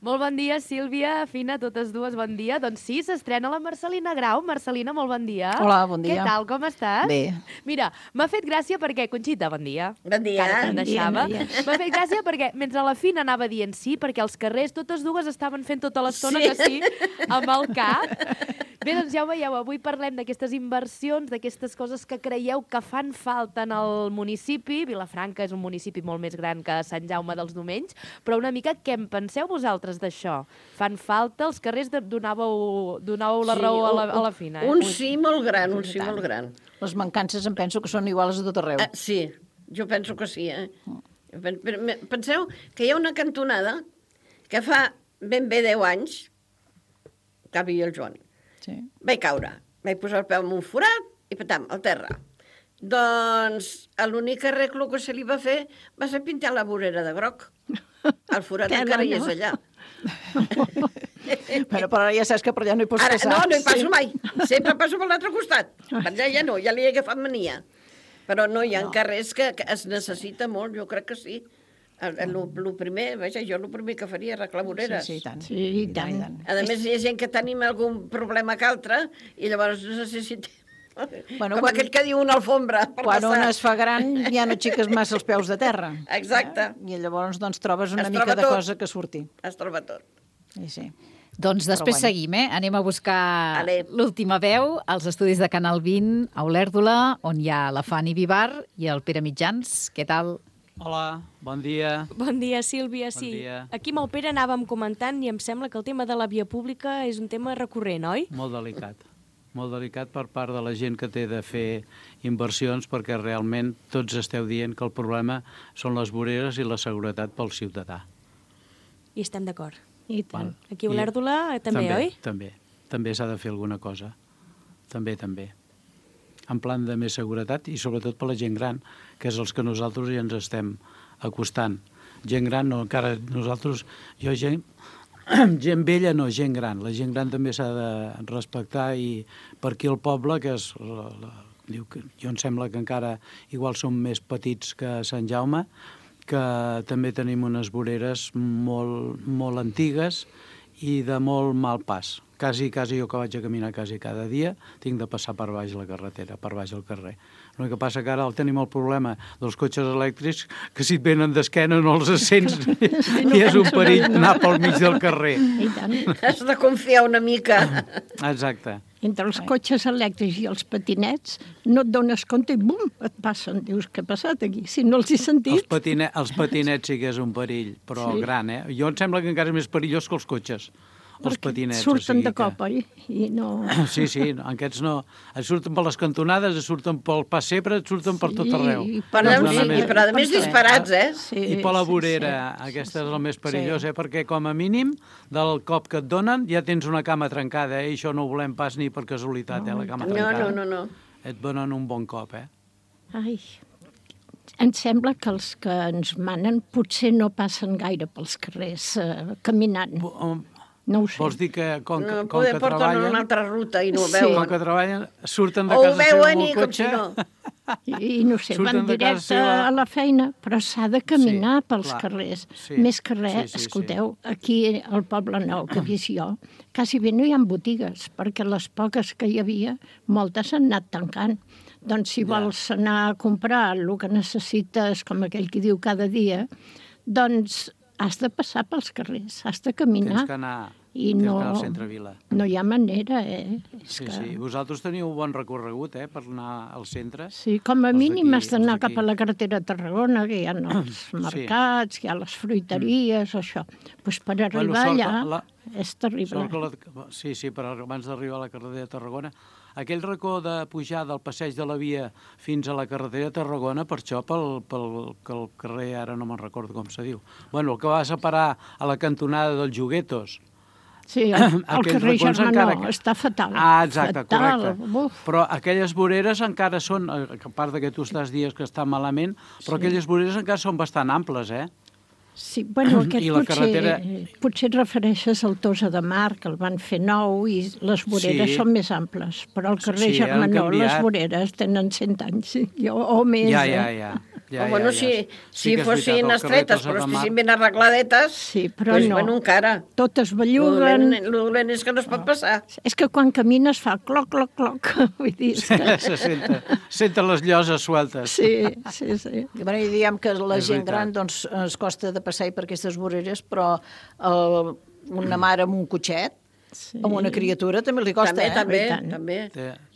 Speaker 8: Molt bon dia, Sílvia, Fina, totes dues, bon dia. Doncs sí, s'estrena la Marcelina Grau. Marcelina, molt bon dia.
Speaker 9: Hola, bon dia.
Speaker 8: Què tal, com estàs?
Speaker 9: Bé.
Speaker 8: Mira, m'ha fet gràcia perquè... Conxita, bon dia.
Speaker 9: Bon dia.
Speaker 8: Encara te'n deixava.
Speaker 7: Bon dia.
Speaker 8: M'ha fet gràcia perquè, mentre la Fina anava dient sí, perquè els carrers totes dues estaven fent tota l'estona que sí, amb el cap. Bé, doncs ja ho veieu, avui parlem d'aquestes inversions, d'aquestes coses que creieu que fan falta en el municipi. Vilafranca és un municipi molt més gran que Sant Jaume dels Domenys, però una mica què en penseu vosaltres d'això? Fan falta? Els carrers donàveu la raó a la Fina,
Speaker 9: Un sí molt gran,
Speaker 10: Les mancances em penso que són iguals a tot arreu.
Speaker 9: Sí, jo penso que sí, Penseu que hi ha una cantonada que fa ben bé 10 anys que havia el Joan.
Speaker 10: Sí.
Speaker 9: Vaig caure, vaig posar el peu en un forat i patam, al terra. Doncs l'únic arreglo que se li va fer va ser pintar la vorera de groc. El forat encara hi és allà.
Speaker 10: Però ara ja saps que per allà no hi pots passar.
Speaker 9: No hi passo mai. Sempre passo per l'altre costat. Per allà ja no, ja li he agafat mania. Però no, hi ha carrers que es necessita molt, jo crec que sí. El primer que faria és arreglar voreres.
Speaker 10: Sí, i tant.
Speaker 7: Sí, i tant.
Speaker 9: A més, hi ha gent que tenim algun problema que altre i llavors necessitem... Com aquell que diu una alfombra per
Speaker 10: Quan
Speaker 9: passar.
Speaker 10: un es fa gran ja no xiques massa els peus de terra.
Speaker 9: Exacte.
Speaker 10: I llavors trobes una
Speaker 9: Es
Speaker 10: mica
Speaker 9: troba
Speaker 10: de
Speaker 9: tot.
Speaker 10: cosa que surti.
Speaker 9: Es troba tot.
Speaker 10: Sí.
Speaker 3: Doncs després seguim, Anem a buscar l'última veu als estudis de Canal 20 a Olèrdola, on hi ha la Fanny Vivar i el Pere Mitjans. Què tal?
Speaker 11: Hola, bon dia.
Speaker 8: Bon dia, Sílvia.
Speaker 11: Bon dia.
Speaker 8: Aquí amb el Pere anàvem comentant i em sembla que el tema de la via pública és un tema recurrent, oi?
Speaker 11: Molt delicat per part de la gent que té de fer inversions, perquè realment tots esteu dient que el problema són les voreres i la seguretat pel ciutadà.
Speaker 8: I estem d'acord.
Speaker 7: I tant.
Speaker 8: Aquí a Olèrdola també, oi?
Speaker 11: També s'ha de fer alguna cosa. També. En plan de més seguretat i sobretot per la gent gran, que és els que nosaltres ja ens estem acostant. Gent gran, no, encara nosaltres... Gent vella no, gent gran. La gent gran també s'ha de respectar i per aquí al poble, que és... Jo em sembla que encara igual som més petits que Sant Jaume, que també tenim unes voreres molt antigues i de molt mal pas. Quasi jo que vaig a caminar quasi cada dia, tinc de passar per baix la carretera, per baix el carrer. El que passa que ara tenim el problema dels cotxes elèctrics, que si et venen d'esquena no els sents i és un perill anar pel mig del carrer.
Speaker 7: I tant.
Speaker 9: Has de confiar una mica.
Speaker 11: Exacte.
Speaker 7: Entre els cotxes elèctrics i els patinets no et dones compte i bum, et passen. Dius, què ha passat aquí? Si no els he sentit...
Speaker 11: Els patinets sí que és un perill, però gran, eh? Jo em sembla que encara és més perillós que els cotxes. Els patinets.
Speaker 7: Surten de cop, oi? I no...
Speaker 11: Sí, aquests no. Et surten per les cantonades, et surten pel pas sempre, et surten per tot arreu.
Speaker 9: Però a més disparats, eh?
Speaker 11: I per la vorera, aquesta és el més perillós, perquè com a mínim del cop que et donen ja tens una cama trencada, i això no ho volem pas ni per casualitat, la cama trencada.
Speaker 9: No.
Speaker 11: Et donen un bon cop,
Speaker 7: Ai, em sembla que els que ens manen potser no passen gaire pels carrers caminant. No ho sé.
Speaker 11: Vols dir que com que
Speaker 9: porten
Speaker 11: treballen...
Speaker 9: una altra ruta i no ho veuen.
Speaker 11: Com que treballen, surten de casa seva amb el cotxe...
Speaker 7: I no sé, van directe a la feina, però s'ha de caminar pels carrers. Més que res, escolteu, aquí al Poble Nou, que he vist jo, quasi bé no hi ha botigues, perquè les poques que hi havia, moltes han anat tancant. Doncs si vols anar a comprar el que necessites, com aquell que diu cada dia, doncs has de passar pels carrers, has de caminar.
Speaker 11: Tens que anar al centre Vila.
Speaker 7: No hi ha manera,
Speaker 11: Sí. Vosaltres teniu un bon recorregut, per anar al centre.
Speaker 7: Sí, com a mínim has d'anar cap a la carretera de Tarragona, que hi ha els mercats, hi ha les fruiteries, això. Doncs per arribar allà és terrible.
Speaker 11: Sí, però abans d'arribar a la carretera de Tarragona, aquell racó de pujar del passeig de la Via fins a la carretera de Tarragona, per això pel carrer, ara no me'n recordo com se diu, el que va separar a la cantonada dels Joguetos.
Speaker 7: Sí, el carrer Germanó està fatal.
Speaker 11: Exacte, correcte. Però aquelles voreres encara són, a part que tu estàs dies que està malament, però aquelles voreres encara són bastant amples,
Speaker 7: Sí, potser et refereixes al Tossa de Mar, que el van fer nou i les voreres són més amples, però al carrer Germanó les voreres tenen 100 anys o més.
Speaker 9: Si fossin estretes, però estiguessin ben arregladetes,
Speaker 7: però no.
Speaker 9: Encara.
Speaker 7: Totes belluguen.
Speaker 9: El dolent és que no es pot passar.
Speaker 7: És que quan camines fa cloc, cloc, cloc. Vull dir,
Speaker 11: se senten les lloses sueltes.
Speaker 7: Sí.
Speaker 10: I diem que la gent gran es costa de passar per aquestes voreres, però una mare amb un cotxet, amb una criatura també li costa,
Speaker 9: També.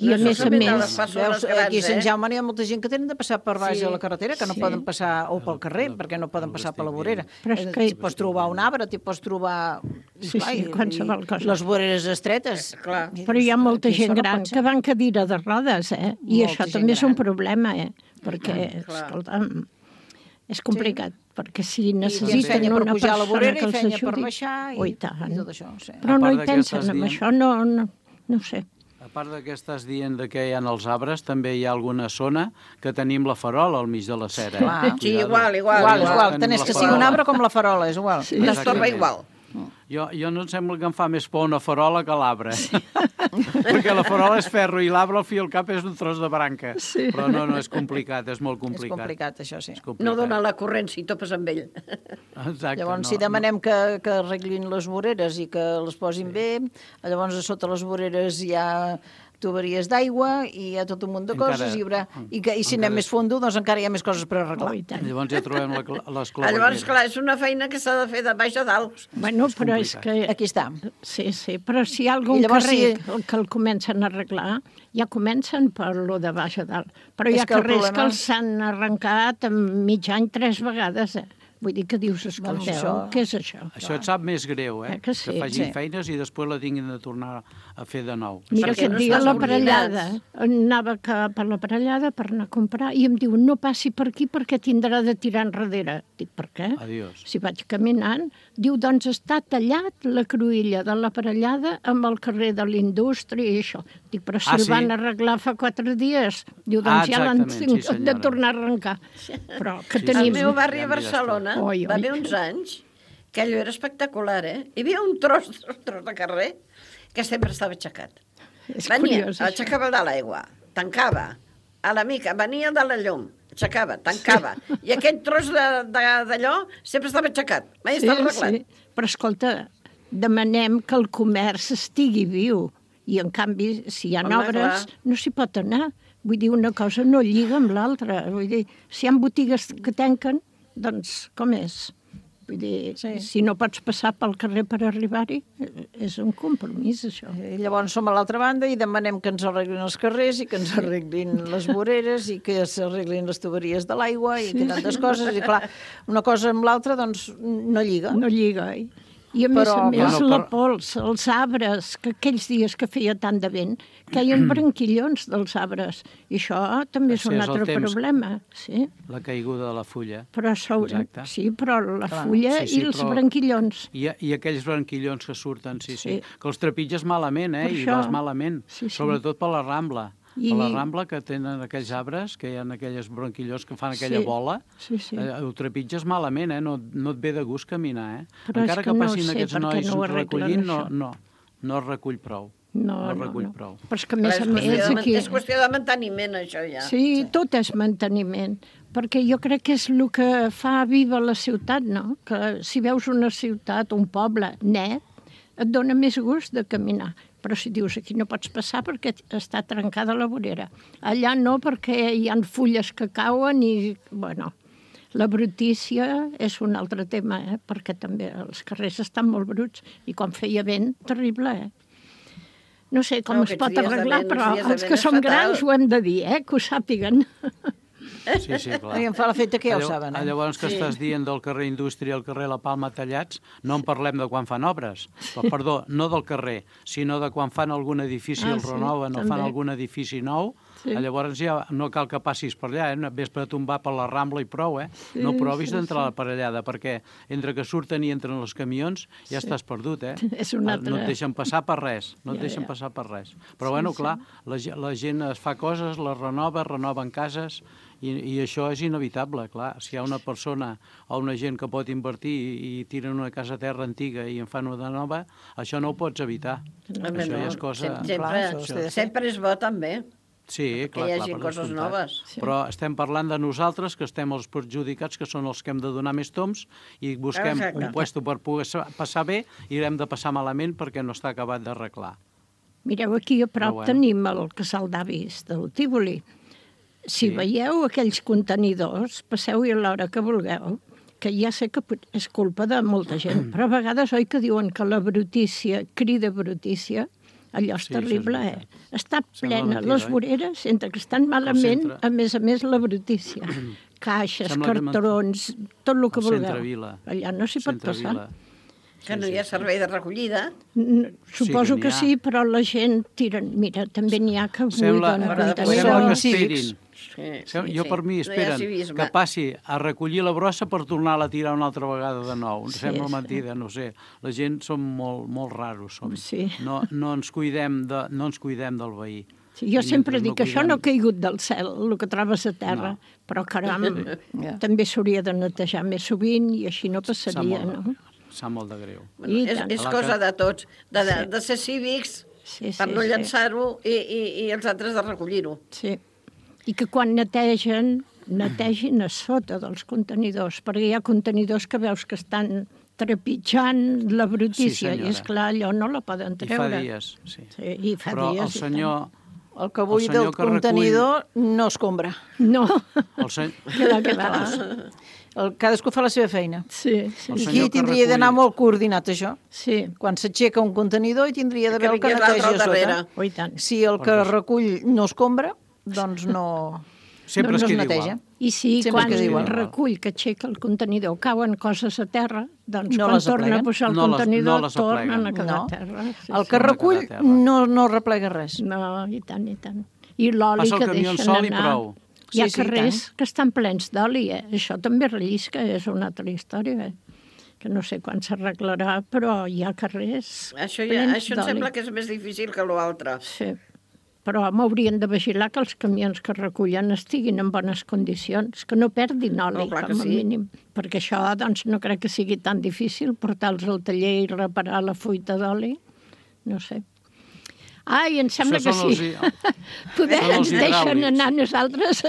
Speaker 7: I a més,
Speaker 10: veus, aquí a Sant Jaume hi ha molta gent que tenen de passar per baix de la carretera, que no poden passar, o pel carrer, perquè no poden passar per la vorera. T'hi pots trobar un arbre, t'hi pots trobar...
Speaker 7: qualsevol cosa.
Speaker 10: Les voreres estretes.
Speaker 7: Però hi ha molta gent gran que va en cadira de rodes, i això també és un problema, perquè, escolta'm, és complicat, perquè si necessiten una persona que els ajudi...
Speaker 10: per baixar i tot això.
Speaker 7: Però no hi pensen en això, no ho sé.
Speaker 11: A part que estàs dient que hi ha els arbres, també hi ha alguna zona que tenim la farola al mig de la cera.
Speaker 9: Sí, igual.
Speaker 10: Tant és que sigui un arbre com la farola, és igual.
Speaker 9: L'estorba igual.
Speaker 11: Jo no em sembla que em fa més por una farola que l'arbre. Perquè la farola és ferro i l'arbre al fi al cap és un tros de branca. Però no, és complicat, és molt complicat.
Speaker 10: És complicat, això sí.
Speaker 9: No dona la corrent si topes amb ell.
Speaker 11: Exacte.
Speaker 10: Llavors, si demanem que arreglin les voreres i que les posin bé, llavors a sota les voreres hi ha tuberies d'aigua i hi ha tot un munt de coses i si anem més fondo doncs encara hi ha més coses per arreglar.
Speaker 11: Llavors ja trobem les clavegueres.
Speaker 9: Llavors, clar, és una feina que s'ha de fer de baix a dalt.
Speaker 7: Bueno, però és que...
Speaker 10: Aquí està.
Speaker 7: Sí, però si hi ha algun carrer que el comencen a arreglar, ja comencen per lo de baix a dalt. Però hi ha carrers que els han arrencat en mig any 3 vegades, Vull dir que dius, escolteu, què és això?
Speaker 11: Això et sap més greu, que facin feines i després la tinguin de tornar a fer de nou.
Speaker 7: Mira, aquest dia a l'Aparellada, anava cap a l'Aparellada per anar a comprar i em diu, no passi per aquí perquè tindrà de tirar enrere. Dic, per què?
Speaker 11: Adiós.
Speaker 7: Si vaig caminant, diu, doncs està tallat la cruïlla de l'Aparellada amb el carrer de l'Indústria i això. Dic, però si el van arreglar fa 4 dies, diu, doncs ja l'han de tornar a arrencar. Però que tenim...
Speaker 9: Al meu barri a Barcelona va haver uns anys que allò era espectacular, Hi havia un tros de carrer que sempre estava aixecat. Venia, aixecava de l'aigua, tancava, a la mica, venia de la llum, aixecava, tancava, i aquell tros d'allò sempre estava aixecat, mai estava arreglat.
Speaker 7: Però escolta, demanem que el comerç estigui viu. I, en canvi, si hi ha obres, no s'hi pot anar. Vull dir, una cosa no lliga amb l'altra. Vull dir, si hi ha botigues que tanquen, doncs com és? Vull dir, si no pots passar pel carrer per arribar-hi, és un compromís, això.
Speaker 10: I llavors som a l'altra banda i demanem que ens arreglin els carrers i que ens arreglin les voreres i que s'arreglin les tuberies de l'aigua i que tantes coses. I clar, una cosa amb l'altra, doncs, no lliga.
Speaker 7: No lliga, I a més la pols, els arbres, que aquells dies que feia tant de vent, caien branquillons dels arbres. I això també és un altre problema. Sí.
Speaker 11: La caiguda de la fulla.
Speaker 7: Però sí, però la fulla i els branquillons.
Speaker 11: I aquells branquillons que surten, sí. Que els trepitges malament, i vas malament. Sobretot per la Rambla. A la Rambla, que tenen aquells arbres, que hi ha aquelles branquillons que fan aquella bola, ho trepitges malament, no et ve de gust caminar. Encara que passin aquests nois recollint, no es recull prou. No recull prou.
Speaker 7: Però és que, a més aquí...
Speaker 9: És qüestió de manteniment, això, ja.
Speaker 7: Sí, tot és manteniment. Perquè jo crec que és el que fa viva la ciutat, no? Que si veus una ciutat, un poble net, et dona més gust de caminar. Però si dius, aquí no pots passar perquè està trencada la vorera. Allà no, perquè hi ha fulles que cauen i, bueno, la brutícia és un altre tema, perquè també els carrers estan molt bruts i quan feia vent, terrible, No sé com es pot arreglar, però els que som grans ho hem de dir, que ho sàpiguen.
Speaker 11: Sí, clar.
Speaker 10: I em fa l'efecte que ja ho saben.
Speaker 11: Llavors que estàs dient del carrer Indústria al carrer La Palma tallats, no en parlem de quan fan obres. Perdó, no del carrer, sinó de quan fan algun edifici, el renoven o fan algun edifici nou, llavors ja no cal que passis per allà, ves per tombar per la Rambla i prou, no provis d'entrar per allà, perquè entre que surten i entren els camions ja estàs perdut, No et deixen passar per res, Però, bueno, clar, la gent es fa coses, les renoven cases, i això és inevitable, clar. Si hi ha una persona o una gent que pot invertir i tiren una casa terra antiga i en fan una nova, això no ho pots evitar. Això ja és cosa...
Speaker 9: Sempre és bo, també.
Speaker 11: Sí, clar,
Speaker 9: que hi hagi coses noves.
Speaker 11: Però estem parlant de nosaltres, que estem els perjudicats, que són els que hem de donar més toms, i busquem un puesto per poder passar bé i hem de passar malament perquè no està acabat d'arreglar.
Speaker 7: Mireu, aquí a prop tenim el casal d'avis del Tívoli. Si veieu aquells contenidors, passeu-hi a l'hora que vulgueu, que ja sé que és culpa de molta gent, però a vegades oi que diuen que la brutícia crida brutícia, allò és terrible, Està plena les voreres, entre que estan malament, a més la brutícia. Caixes, cartrons, tot el que vulgueu. Allà no s'hi pot passar.
Speaker 9: Que no hi ha servei de recollida?
Speaker 7: Suposo que sí, però la gent tira... Mira, també n'hi ha que buiden
Speaker 11: contenidors. Jo per mi esperen que passi a recollir la brossa per tornar-la a tirar una altra vegada de nou. Sembla mentida, no sé. La gent som molt raros. No ens cuidem del veí.
Speaker 7: Jo sempre dic que això no ha caigut del cel, el que trobes a terra, però caram, també s'hauria de netejar més sovint i així no passaria, no?
Speaker 11: Sap molt de greu.
Speaker 9: És cosa de tots, de ser cívics per no llançar-ho i els altres de recollir-ho.
Speaker 7: Sí, i que quan netegin a sota dels contenidors, perquè hi ha contenidors que veus que estan trepitjant la brutícia, i esclar, allò no la poden treure.
Speaker 11: I fa dies, sí.
Speaker 7: I fa
Speaker 11: però
Speaker 7: dies.
Speaker 11: El senyor...
Speaker 10: El que vull del contenidor no escombra.
Speaker 7: No.
Speaker 10: Cadascú fa la seva feina.
Speaker 7: Sí.
Speaker 10: I aquí tindria d'anar molt coordinat, això.
Speaker 7: Sí.
Speaker 10: Quan s'aixeca un contenidor, hi tindria d'haver el que neteja a sota. Si el que recull no escombra, doncs no es neteja.
Speaker 7: I si quan recull que aixeca el contenidor cauen coses a terra, doncs quan torna a posar el contenidor tornen a quedar a terra.
Speaker 10: El que recull no replega res.
Speaker 7: No, i tant, i tant. I l'oli que deixen anar. Hi ha carrers que estan plens d'oli, Això també rellisca, és una altra història, que no sé quan s'arreglarà, però hi ha carrers plens d'oli.
Speaker 9: Això em sembla que és més difícil que l'altre.
Speaker 7: Sí. Però m'haurien de vigilar que els camions que recullen estiguin en bones condicions, que no perdin oli, com a mínim. Perquè això, doncs, no crec que sigui tan difícil portar-los al taller i reparar la fuita d'oli. No sé. Ai, em sembla que
Speaker 11: Això són
Speaker 7: sí.
Speaker 11: Poder
Speaker 7: ens deixen anar nosaltres.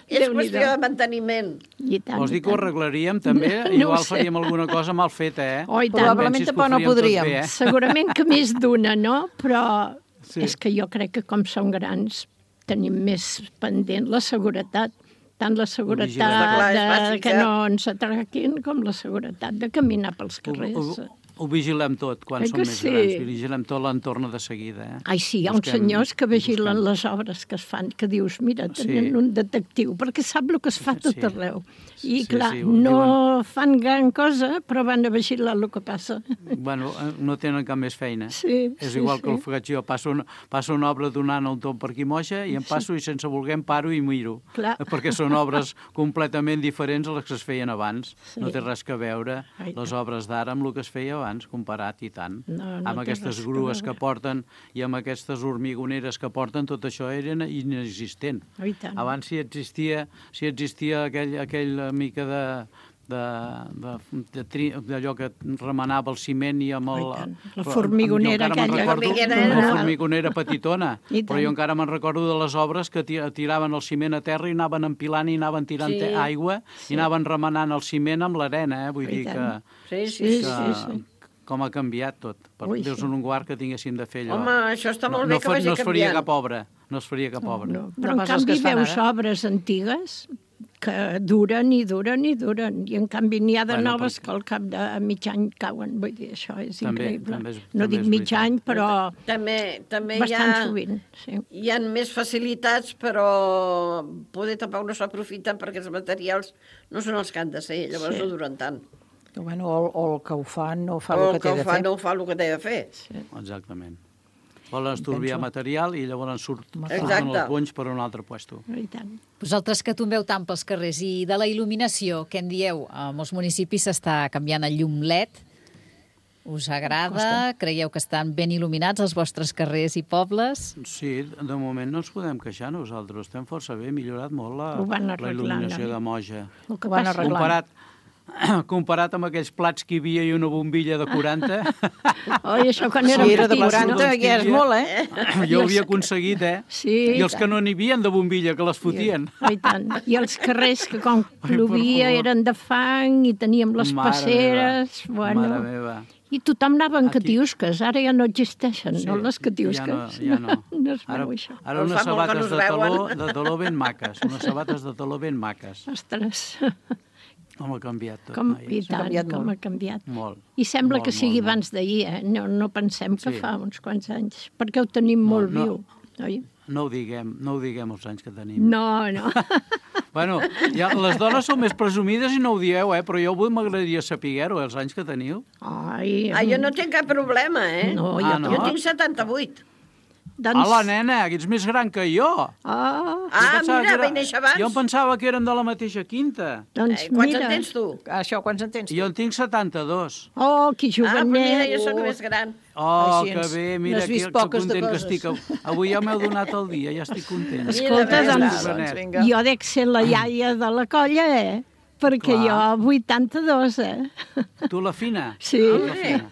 Speaker 9: És qüestió de manteniment.
Speaker 7: I tant,
Speaker 11: Vols dir
Speaker 7: i
Speaker 11: que ho
Speaker 7: tant.
Speaker 11: arreglaríem, també?
Speaker 7: No
Speaker 11: Igual
Speaker 7: ho sé.
Speaker 11: faríem alguna cosa mal feta, eh?
Speaker 7: Oh, i tant.
Speaker 10: Probablement
Speaker 11: Pensis que ho
Speaker 10: tampoc no
Speaker 11: faríem tot
Speaker 10: podríem.
Speaker 11: bé, eh?
Speaker 7: Segurament que més d'una, no? Però
Speaker 11: Sí.
Speaker 7: és que jo crec que com som grans tenim més pendent la seguretat. Tant la seguretat
Speaker 9: Clar, és
Speaker 7: de
Speaker 9: bàsica.
Speaker 7: que no ens atraquin com la seguretat de caminar pels carrers.
Speaker 11: Ho vigilem tot quan
Speaker 7: Oi
Speaker 11: som
Speaker 7: que
Speaker 11: més
Speaker 7: sí?
Speaker 11: grans. Vigilem tot l'entorn de seguida, eh?
Speaker 7: Ai, sí, hi ha uns senyors que vigilen les obres que es fan, que dius, mira, tenen un detectiu, perquè sap el que es fa tot arreu. I,
Speaker 11: Sí,
Speaker 7: clar,
Speaker 11: sí,
Speaker 7: no fan gran cosa, però van a vigilar el que passa.
Speaker 11: Bueno, no tenen cap més feina.
Speaker 7: Sí,
Speaker 11: És
Speaker 7: sí,
Speaker 11: igual
Speaker 7: sí.
Speaker 11: que el faig jo. Passo una obra donant un tomb per aquí moixa i em passo i sense voler em paro i miro.
Speaker 7: Clar.
Speaker 11: Perquè són obres completament diferents a les que es feien abans.
Speaker 7: Sí.
Speaker 11: No té res que veure
Speaker 7: Ai,
Speaker 11: les obres d'ara amb el que es feia abans, comparat i tant.
Speaker 7: No, no
Speaker 11: amb
Speaker 7: té
Speaker 11: aquestes
Speaker 7: res que
Speaker 11: grues que
Speaker 7: veure.
Speaker 11: porten i amb aquestes hormigoneres que porten, tot això era inexistent.
Speaker 7: Oh, i tant.
Speaker 11: Abans si existia aquella mica d'allò que remenava el ciment i amb el...
Speaker 7: Oh, i tant. La formigonera aquella.
Speaker 11: La formigonera petitona.
Speaker 7: I tant.
Speaker 11: Però jo encara me'n recordo de les obres que tiraven el ciment a terra i anaven empilant i anaven tirant aigua i anaven remenant el ciment amb l'arena, Vull dir que...
Speaker 9: Sí.
Speaker 11: Com ha canviat tot.
Speaker 7: Ui,
Speaker 11: Déu
Speaker 7: sí.
Speaker 11: en un guard que tinguéssim de fer allò.
Speaker 9: Home, això està molt bé que vagi
Speaker 11: no es faria
Speaker 9: canviant.
Speaker 11: cap obra. No es faria cap obra.
Speaker 7: No, però en
Speaker 10: pas les que
Speaker 7: canvi
Speaker 10: es fan
Speaker 7: veus
Speaker 10: ara.
Speaker 7: obres antigues que duren i duren i duren. I en canvi n'hi ha de
Speaker 11: Bueno,
Speaker 7: noves que al cap de mig any cauen. Vull dir, això és
Speaker 11: També
Speaker 7: increïble.
Speaker 11: és-
Speaker 7: No
Speaker 11: també
Speaker 7: dic
Speaker 11: és
Speaker 7: mig
Speaker 11: veritat.
Speaker 7: any, però
Speaker 9: També
Speaker 7: bastant sovint. Sí.
Speaker 9: hi ha més facilitats, però poder tampoc no s'aprofiten perquè els materials no són els que han de ser, llavors no duren tant.
Speaker 10: Bueno, o el que ho fa no fa
Speaker 9: O
Speaker 10: el
Speaker 9: el
Speaker 10: que té de
Speaker 9: fa
Speaker 10: fer.
Speaker 9: no fa el que té de fer.
Speaker 11: Exactament. Volen estorbiar material i llavors surten
Speaker 9: Exacte.
Speaker 11: els bonys per un altre puesto.
Speaker 7: I tant.
Speaker 3: Vosaltres que tombeu tant pels carrers i de la il·luminació, què en dieu? A molts municipis s'està canviant el llum LED. Us agrada? Creieu que estan ben il·luminats els vostres carrers i pobles?
Speaker 11: Sí, de moment no ens podem queixar nosaltres. Estem força bé, millorat molt
Speaker 7: Ho van
Speaker 11: la
Speaker 7: arreglant,
Speaker 11: il·luminació
Speaker 7: oi?
Speaker 11: de Moja.
Speaker 7: El que
Speaker 10: Ho van
Speaker 7: passa...
Speaker 10: arreglant.
Speaker 11: Comparat amb aquells plats que hi havia i una bombilla de 40...
Speaker 7: Oi, això quan érem
Speaker 10: Si era de
Speaker 7: petits,
Speaker 10: 40,
Speaker 7: no?
Speaker 10: ja és molt, eh?
Speaker 11: Jo ho havia aconseguit,
Speaker 7: Sí,
Speaker 11: I els que no n'hi havia de bombilla, que les fotien.
Speaker 7: I tant. I els carrers que quan
Speaker 11: per
Speaker 7: plovia
Speaker 11: favor.
Speaker 7: eren de fang i teníem les
Speaker 11: Mare
Speaker 7: passeres.
Speaker 11: meva,
Speaker 7: Bueno.
Speaker 11: Mare meva.
Speaker 7: I tothom anava en
Speaker 11: Aquí-
Speaker 7: catiusques, ara ja no existeixen,
Speaker 11: Sí,
Speaker 7: no les catiusques.
Speaker 11: ja no.
Speaker 7: No es
Speaker 11: Ara,
Speaker 7: veu això.
Speaker 11: ara
Speaker 9: Els
Speaker 11: unes
Speaker 9: fa molt que no
Speaker 11: sabates
Speaker 9: es veuen.
Speaker 11: de taló ben maques. Unes sabates de taló ben maques.
Speaker 7: Ostres,
Speaker 11: Com ha canviat tot,
Speaker 7: com, i
Speaker 11: noies.
Speaker 7: tant,
Speaker 10: canviat
Speaker 7: com
Speaker 10: molt.
Speaker 7: ha canviat.
Speaker 11: Molt.
Speaker 7: I sembla
Speaker 11: Molt,
Speaker 7: que sigui
Speaker 11: molt,
Speaker 7: abans d'ahir, no pensem que
Speaker 11: Sí.
Speaker 7: fa uns quants anys, perquè ho tenim molt
Speaker 11: no.
Speaker 7: viu. Oi?
Speaker 11: No ho diguem els anys que tenim.
Speaker 7: No, no.
Speaker 11: Bueno, ja, les dones són més presumides i no ho dieu, però jo m'agradaria saber-ho, els anys que teniu.
Speaker 7: Ai,
Speaker 9: Jo no tinc cap problema,
Speaker 7: No,
Speaker 11: Ah, no?
Speaker 9: Jo tinc 78.
Speaker 7: doncs...
Speaker 11: Hola, nena, que ets més gran que jo.
Speaker 7: Ah,
Speaker 9: Mira, vaig néixer abans.
Speaker 11: Jo em pensava que érem de la mateixa quinta.
Speaker 7: doncs
Speaker 9: Quants
Speaker 7: mira.
Speaker 9: en tens tu?
Speaker 10: Això, quants en tens?
Speaker 11: Jo en tinc 72.
Speaker 7: Oh, que
Speaker 9: Però mira,
Speaker 7: jovenet.
Speaker 9: jo sóc més gran.
Speaker 11: Oh,
Speaker 10: Així
Speaker 11: que
Speaker 10: ens-
Speaker 11: bé, mira,
Speaker 10: n'has vist
Speaker 11: que
Speaker 10: poques de
Speaker 11: content que
Speaker 10: coses.
Speaker 11: estic. Avui ja m'heu donat el dia, ja estic content.
Speaker 7: Escolta,
Speaker 9: Mira,
Speaker 7: doncs,
Speaker 10: Doncs vinga.
Speaker 7: jo dec ser la iaia de la colla, Perquè
Speaker 11: Clar.
Speaker 7: jo, 82,
Speaker 11: Tu la fina?
Speaker 7: Sí.
Speaker 11: La fina.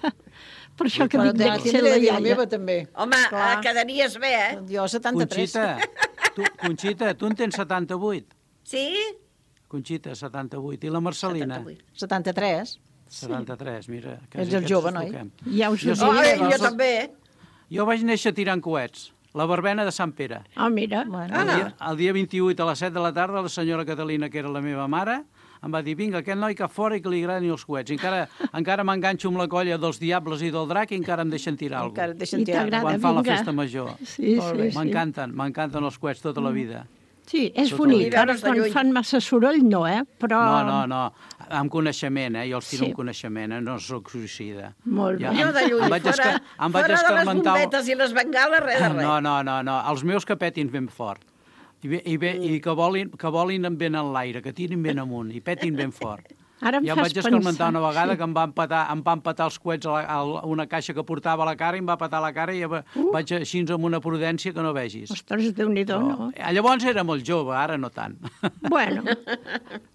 Speaker 7: Per això que
Speaker 10: Però
Speaker 7: dic, dec ser la
Speaker 10: la
Speaker 7: iaia.
Speaker 10: meva, també.
Speaker 9: Home,
Speaker 10: Clar.
Speaker 9: quedaries bé,
Speaker 10: Jo, 73.
Speaker 11: Conxita, tu en tens 78.
Speaker 9: Sí?
Speaker 11: Conxita, 78. I la Marcelina?
Speaker 9: 78.
Speaker 10: 73.
Speaker 11: 73, mira.
Speaker 10: Ets el jove, noi?
Speaker 7: Ja us ho
Speaker 11: Jo
Speaker 7: dic.
Speaker 11: sí.
Speaker 9: Jo també.
Speaker 11: Jo vaig néixer tirant coets. La verbena de Sant Pere.
Speaker 7: Ah, mira.
Speaker 10: Bueno,
Speaker 11: El dia 28 a les 7 de la tarda, la senyora Catalina, que era la meva mare, em va dir, vinga, aquest noi cap fora i que li agradin els coets. Encara m'enganxo amb la colla dels diables i del drac i encara em deixen tirar alguna
Speaker 10: encara et deixen
Speaker 7: I
Speaker 10: tirar.
Speaker 7: t'agrada.
Speaker 11: quan fan la
Speaker 7: vinga.
Speaker 11: festa major.
Speaker 7: Sí,
Speaker 10: Molt bé.
Speaker 7: sí, sí.
Speaker 11: M'encanten els coets tota la vida.
Speaker 7: Sí, és
Speaker 11: Tot
Speaker 7: bonic.
Speaker 9: el-
Speaker 7: Ara
Speaker 9: Veure's de
Speaker 7: quan
Speaker 9: lluny.
Speaker 7: fan massa soroll, no, Però...
Speaker 11: No, amb coneixement, jo els tiro
Speaker 7: Sí.
Speaker 11: amb coneixement, no sóc suïcida.
Speaker 7: Molt bé.
Speaker 9: Jo de lluny,
Speaker 11: em vaig
Speaker 9: fora de les
Speaker 11: escarmentar...
Speaker 9: bombetes i les bengales, res de res.
Speaker 11: No, els meus que petin ben fort. I que volin ben en l'aire, que tirin ben amunt i petin ben fort.
Speaker 7: Ara em
Speaker 11: Ja em
Speaker 7: fas
Speaker 11: vaig escarmentar
Speaker 7: pensar,
Speaker 11: una vegada
Speaker 7: sí.
Speaker 11: que em va empatar els coets a una caixa que portava a la cara i em va patar la cara i vaig així amb una prudència que no vegis.
Speaker 7: Ostres, Déu-n'hi-do, no?
Speaker 11: Llavors era molt jove, ara no tant.
Speaker 7: Bueno,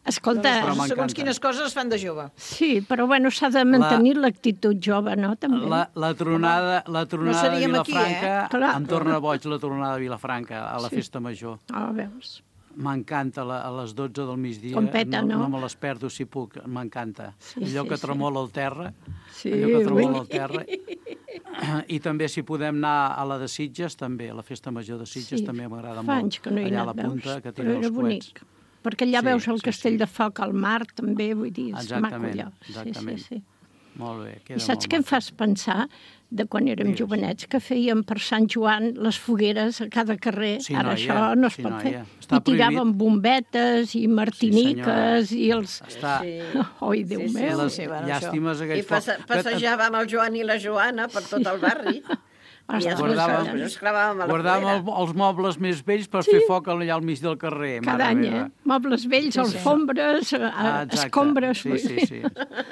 Speaker 7: escolta...
Speaker 11: Però m'encanta.
Speaker 10: Segons quines coses es fan de jove.
Speaker 7: Sí, però bueno, s'ha de mantenir l'actitud jove, no? També.
Speaker 11: La tronada de
Speaker 10: seríem aquí,
Speaker 11: Vilafranca, em torna boig la tronada de Vilafranca a la festa major.
Speaker 7: Ah, veus.
Speaker 11: M'encanta a les 12 del migdia.
Speaker 7: Competa, no?
Speaker 11: No me les perdo si puc, m'encanta.
Speaker 7: Sí,
Speaker 11: Allò
Speaker 7: sí,
Speaker 11: que
Speaker 7: sí.
Speaker 11: tremola el terra.
Speaker 7: Sí,
Speaker 11: Allò que tremola el terra. I també si podem anar a la de Sitges, també, a la festa major de Sitges, també m'agrada molt.
Speaker 7: Fa anys que no hi he
Speaker 11: allà a
Speaker 7: anat,
Speaker 11: la punta,
Speaker 7: veus?
Speaker 11: que
Speaker 7: Però
Speaker 11: tira
Speaker 7: era
Speaker 11: els
Speaker 7: bonic.
Speaker 11: coets.
Speaker 7: Perquè allà
Speaker 11: Sí,
Speaker 7: veus el
Speaker 11: sí,
Speaker 7: castell
Speaker 11: sí.
Speaker 7: de foc al mar, també, vull dir, és maco
Speaker 11: Exactament,
Speaker 7: allò.
Speaker 11: exactament.
Speaker 7: Sí.
Speaker 11: Molt bé, queda
Speaker 7: I saps
Speaker 11: molt
Speaker 7: què em
Speaker 11: maco.
Speaker 7: fas pensar de quan érem
Speaker 11: Digues.
Speaker 7: jovenets, que fèiem per Sant Joan les fogueres a cada carrer?
Speaker 11: Sí,
Speaker 7: Ara
Speaker 11: noia,
Speaker 7: això no es
Speaker 11: sí,
Speaker 7: pot
Speaker 11: noia.
Speaker 7: fer.
Speaker 11: Està
Speaker 7: I tiràvem bombetes i martiniques i els...
Speaker 11: Està...
Speaker 7: Oi, Déu meu.
Speaker 11: Les llàstimes
Speaker 9: I
Speaker 11: aquells focs.
Speaker 9: passejàvem el Joan i la Joana per tot el barri. I ens clavàvem a la
Speaker 11: Guardàvem
Speaker 9: foguera.
Speaker 11: els mobles més vells per fer foc allà al mig del carrer.
Speaker 7: Cada any, mobles vells, alfombres, escombres...
Speaker 11: Sí.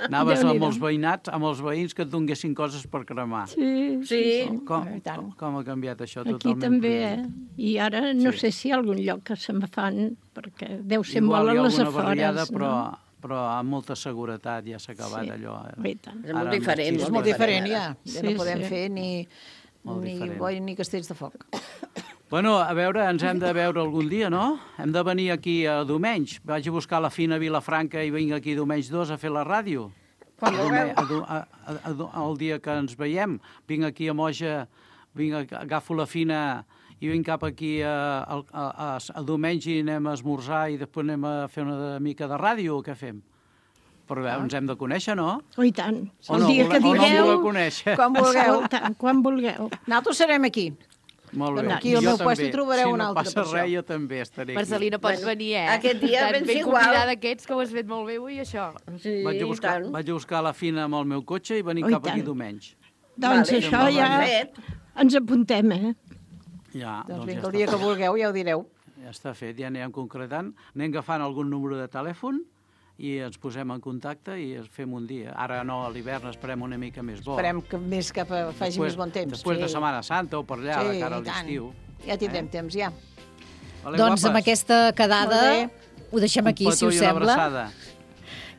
Speaker 11: Anaves amb
Speaker 7: Déu-n'hi-do.
Speaker 11: els veïnats, amb els veïns que et donguessin coses per cremar.
Speaker 7: Sí.
Speaker 11: Com ha canviat això
Speaker 7: Aquí
Speaker 11: totalment?
Speaker 7: també, I ara no sé si hi ha algun lloc que se'n fan, perquè deu ser
Speaker 11: Igual
Speaker 7: molt
Speaker 11: hi
Speaker 7: a
Speaker 11: ha
Speaker 7: les
Speaker 11: alguna barriada,
Speaker 7: afores,
Speaker 11: però amb molta seguretat ja s'ha acabat allò.
Speaker 7: I tant.
Speaker 9: És molt diferent.
Speaker 10: És molt diferent, ja. Ja no podem fer ni
Speaker 11: diferent.
Speaker 10: boi ni castells de foc.
Speaker 11: Bueno, a veure, ens hem de veure algun dia, no? Hem de venir aquí a Domenys. Vaig a buscar la Fina Vilafranca i vinc aquí Domenys 2 a fer la ràdio.
Speaker 9: Quan vulgueu.
Speaker 11: El dia que ens veiem. Vinc aquí a Moja, agafo la Fina i vinc cap aquí a Domenys i anem a esmorzar i després anem a fer una mica de ràdio, o què fem? Però ens hem de conèixer, no?
Speaker 7: Oh, i tant.
Speaker 11: O
Speaker 7: El
Speaker 11: no,
Speaker 7: dia que
Speaker 11: o no em
Speaker 7: digueu...
Speaker 11: voleu conèixer?
Speaker 10: Quan vulgueu.
Speaker 7: Escolta, quan vulgueu.
Speaker 10: Nosaltres serem aquí.
Speaker 11: Molt bé.
Speaker 10: Aquí al
Speaker 11: Jo
Speaker 10: meu
Speaker 11: també.
Speaker 10: puesto trobareu un altre
Speaker 11: Si no
Speaker 10: per
Speaker 11: passa res,
Speaker 10: això.
Speaker 11: jo també estaré aquí.
Speaker 8: Marcelí, no pots venir,
Speaker 9: Aquest dia
Speaker 8: Tan
Speaker 9: vens
Speaker 8: ben
Speaker 9: igual.
Speaker 8: convidada d'aquests que ho has fet molt bé avui, això.
Speaker 9: Sí,
Speaker 11: Vaig a
Speaker 9: tant.
Speaker 11: buscar la Fina amb el meu cotxe i venir
Speaker 7: Oh, i
Speaker 11: cap aquí
Speaker 7: tant.
Speaker 11: Domenys.
Speaker 7: Doncs
Speaker 9: Vale,
Speaker 7: això ja
Speaker 9: fet.
Speaker 7: ens apuntem,
Speaker 11: Ja,
Speaker 10: Doncs
Speaker 11: ja
Speaker 10: vinga, el
Speaker 11: està
Speaker 10: dia que
Speaker 11: fet.
Speaker 10: vulgueu ja ho direu.
Speaker 11: Ja està fet, ja anirem concretant. Anem agafant algun número de telèfon i ens posem en contacte i fem un dia. Ara no, a l'hivern esperem una mica més bo.
Speaker 10: Esperem que més que faci més bon temps.
Speaker 11: Després de Setmana Santa o per allà, de cara a
Speaker 10: i tant.
Speaker 11: l'estiu.
Speaker 10: Ja tindrem temps, ja.
Speaker 11: Vale,
Speaker 3: Doncs amb
Speaker 11: guapes?
Speaker 3: aquesta quedada
Speaker 10: Molt
Speaker 3: ho deixem aquí,
Speaker 11: Un
Speaker 3: si us
Speaker 11: petó i una
Speaker 3: sembla.
Speaker 11: abraçada.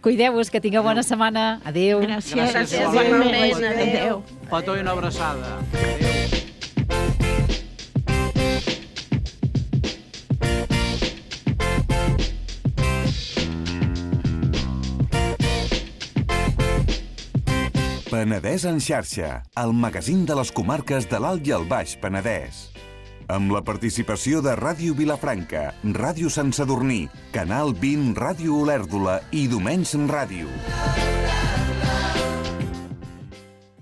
Speaker 3: Cuideu-vos, que tingueu bona setmana. Adéu.
Speaker 7: Gràcies.
Speaker 9: igualment.
Speaker 7: Adéu.
Speaker 11: Un petó i una abraçada. Adéu.
Speaker 1: Penedès en xarxa, el magazín de les comarques de l'Alt i el Baix Penedès. Amb la participació de Ràdio Vilafranca, Ràdio Sant Sadurní, Canal 20 Ràdio Olèrdola i Domenys Ràdio.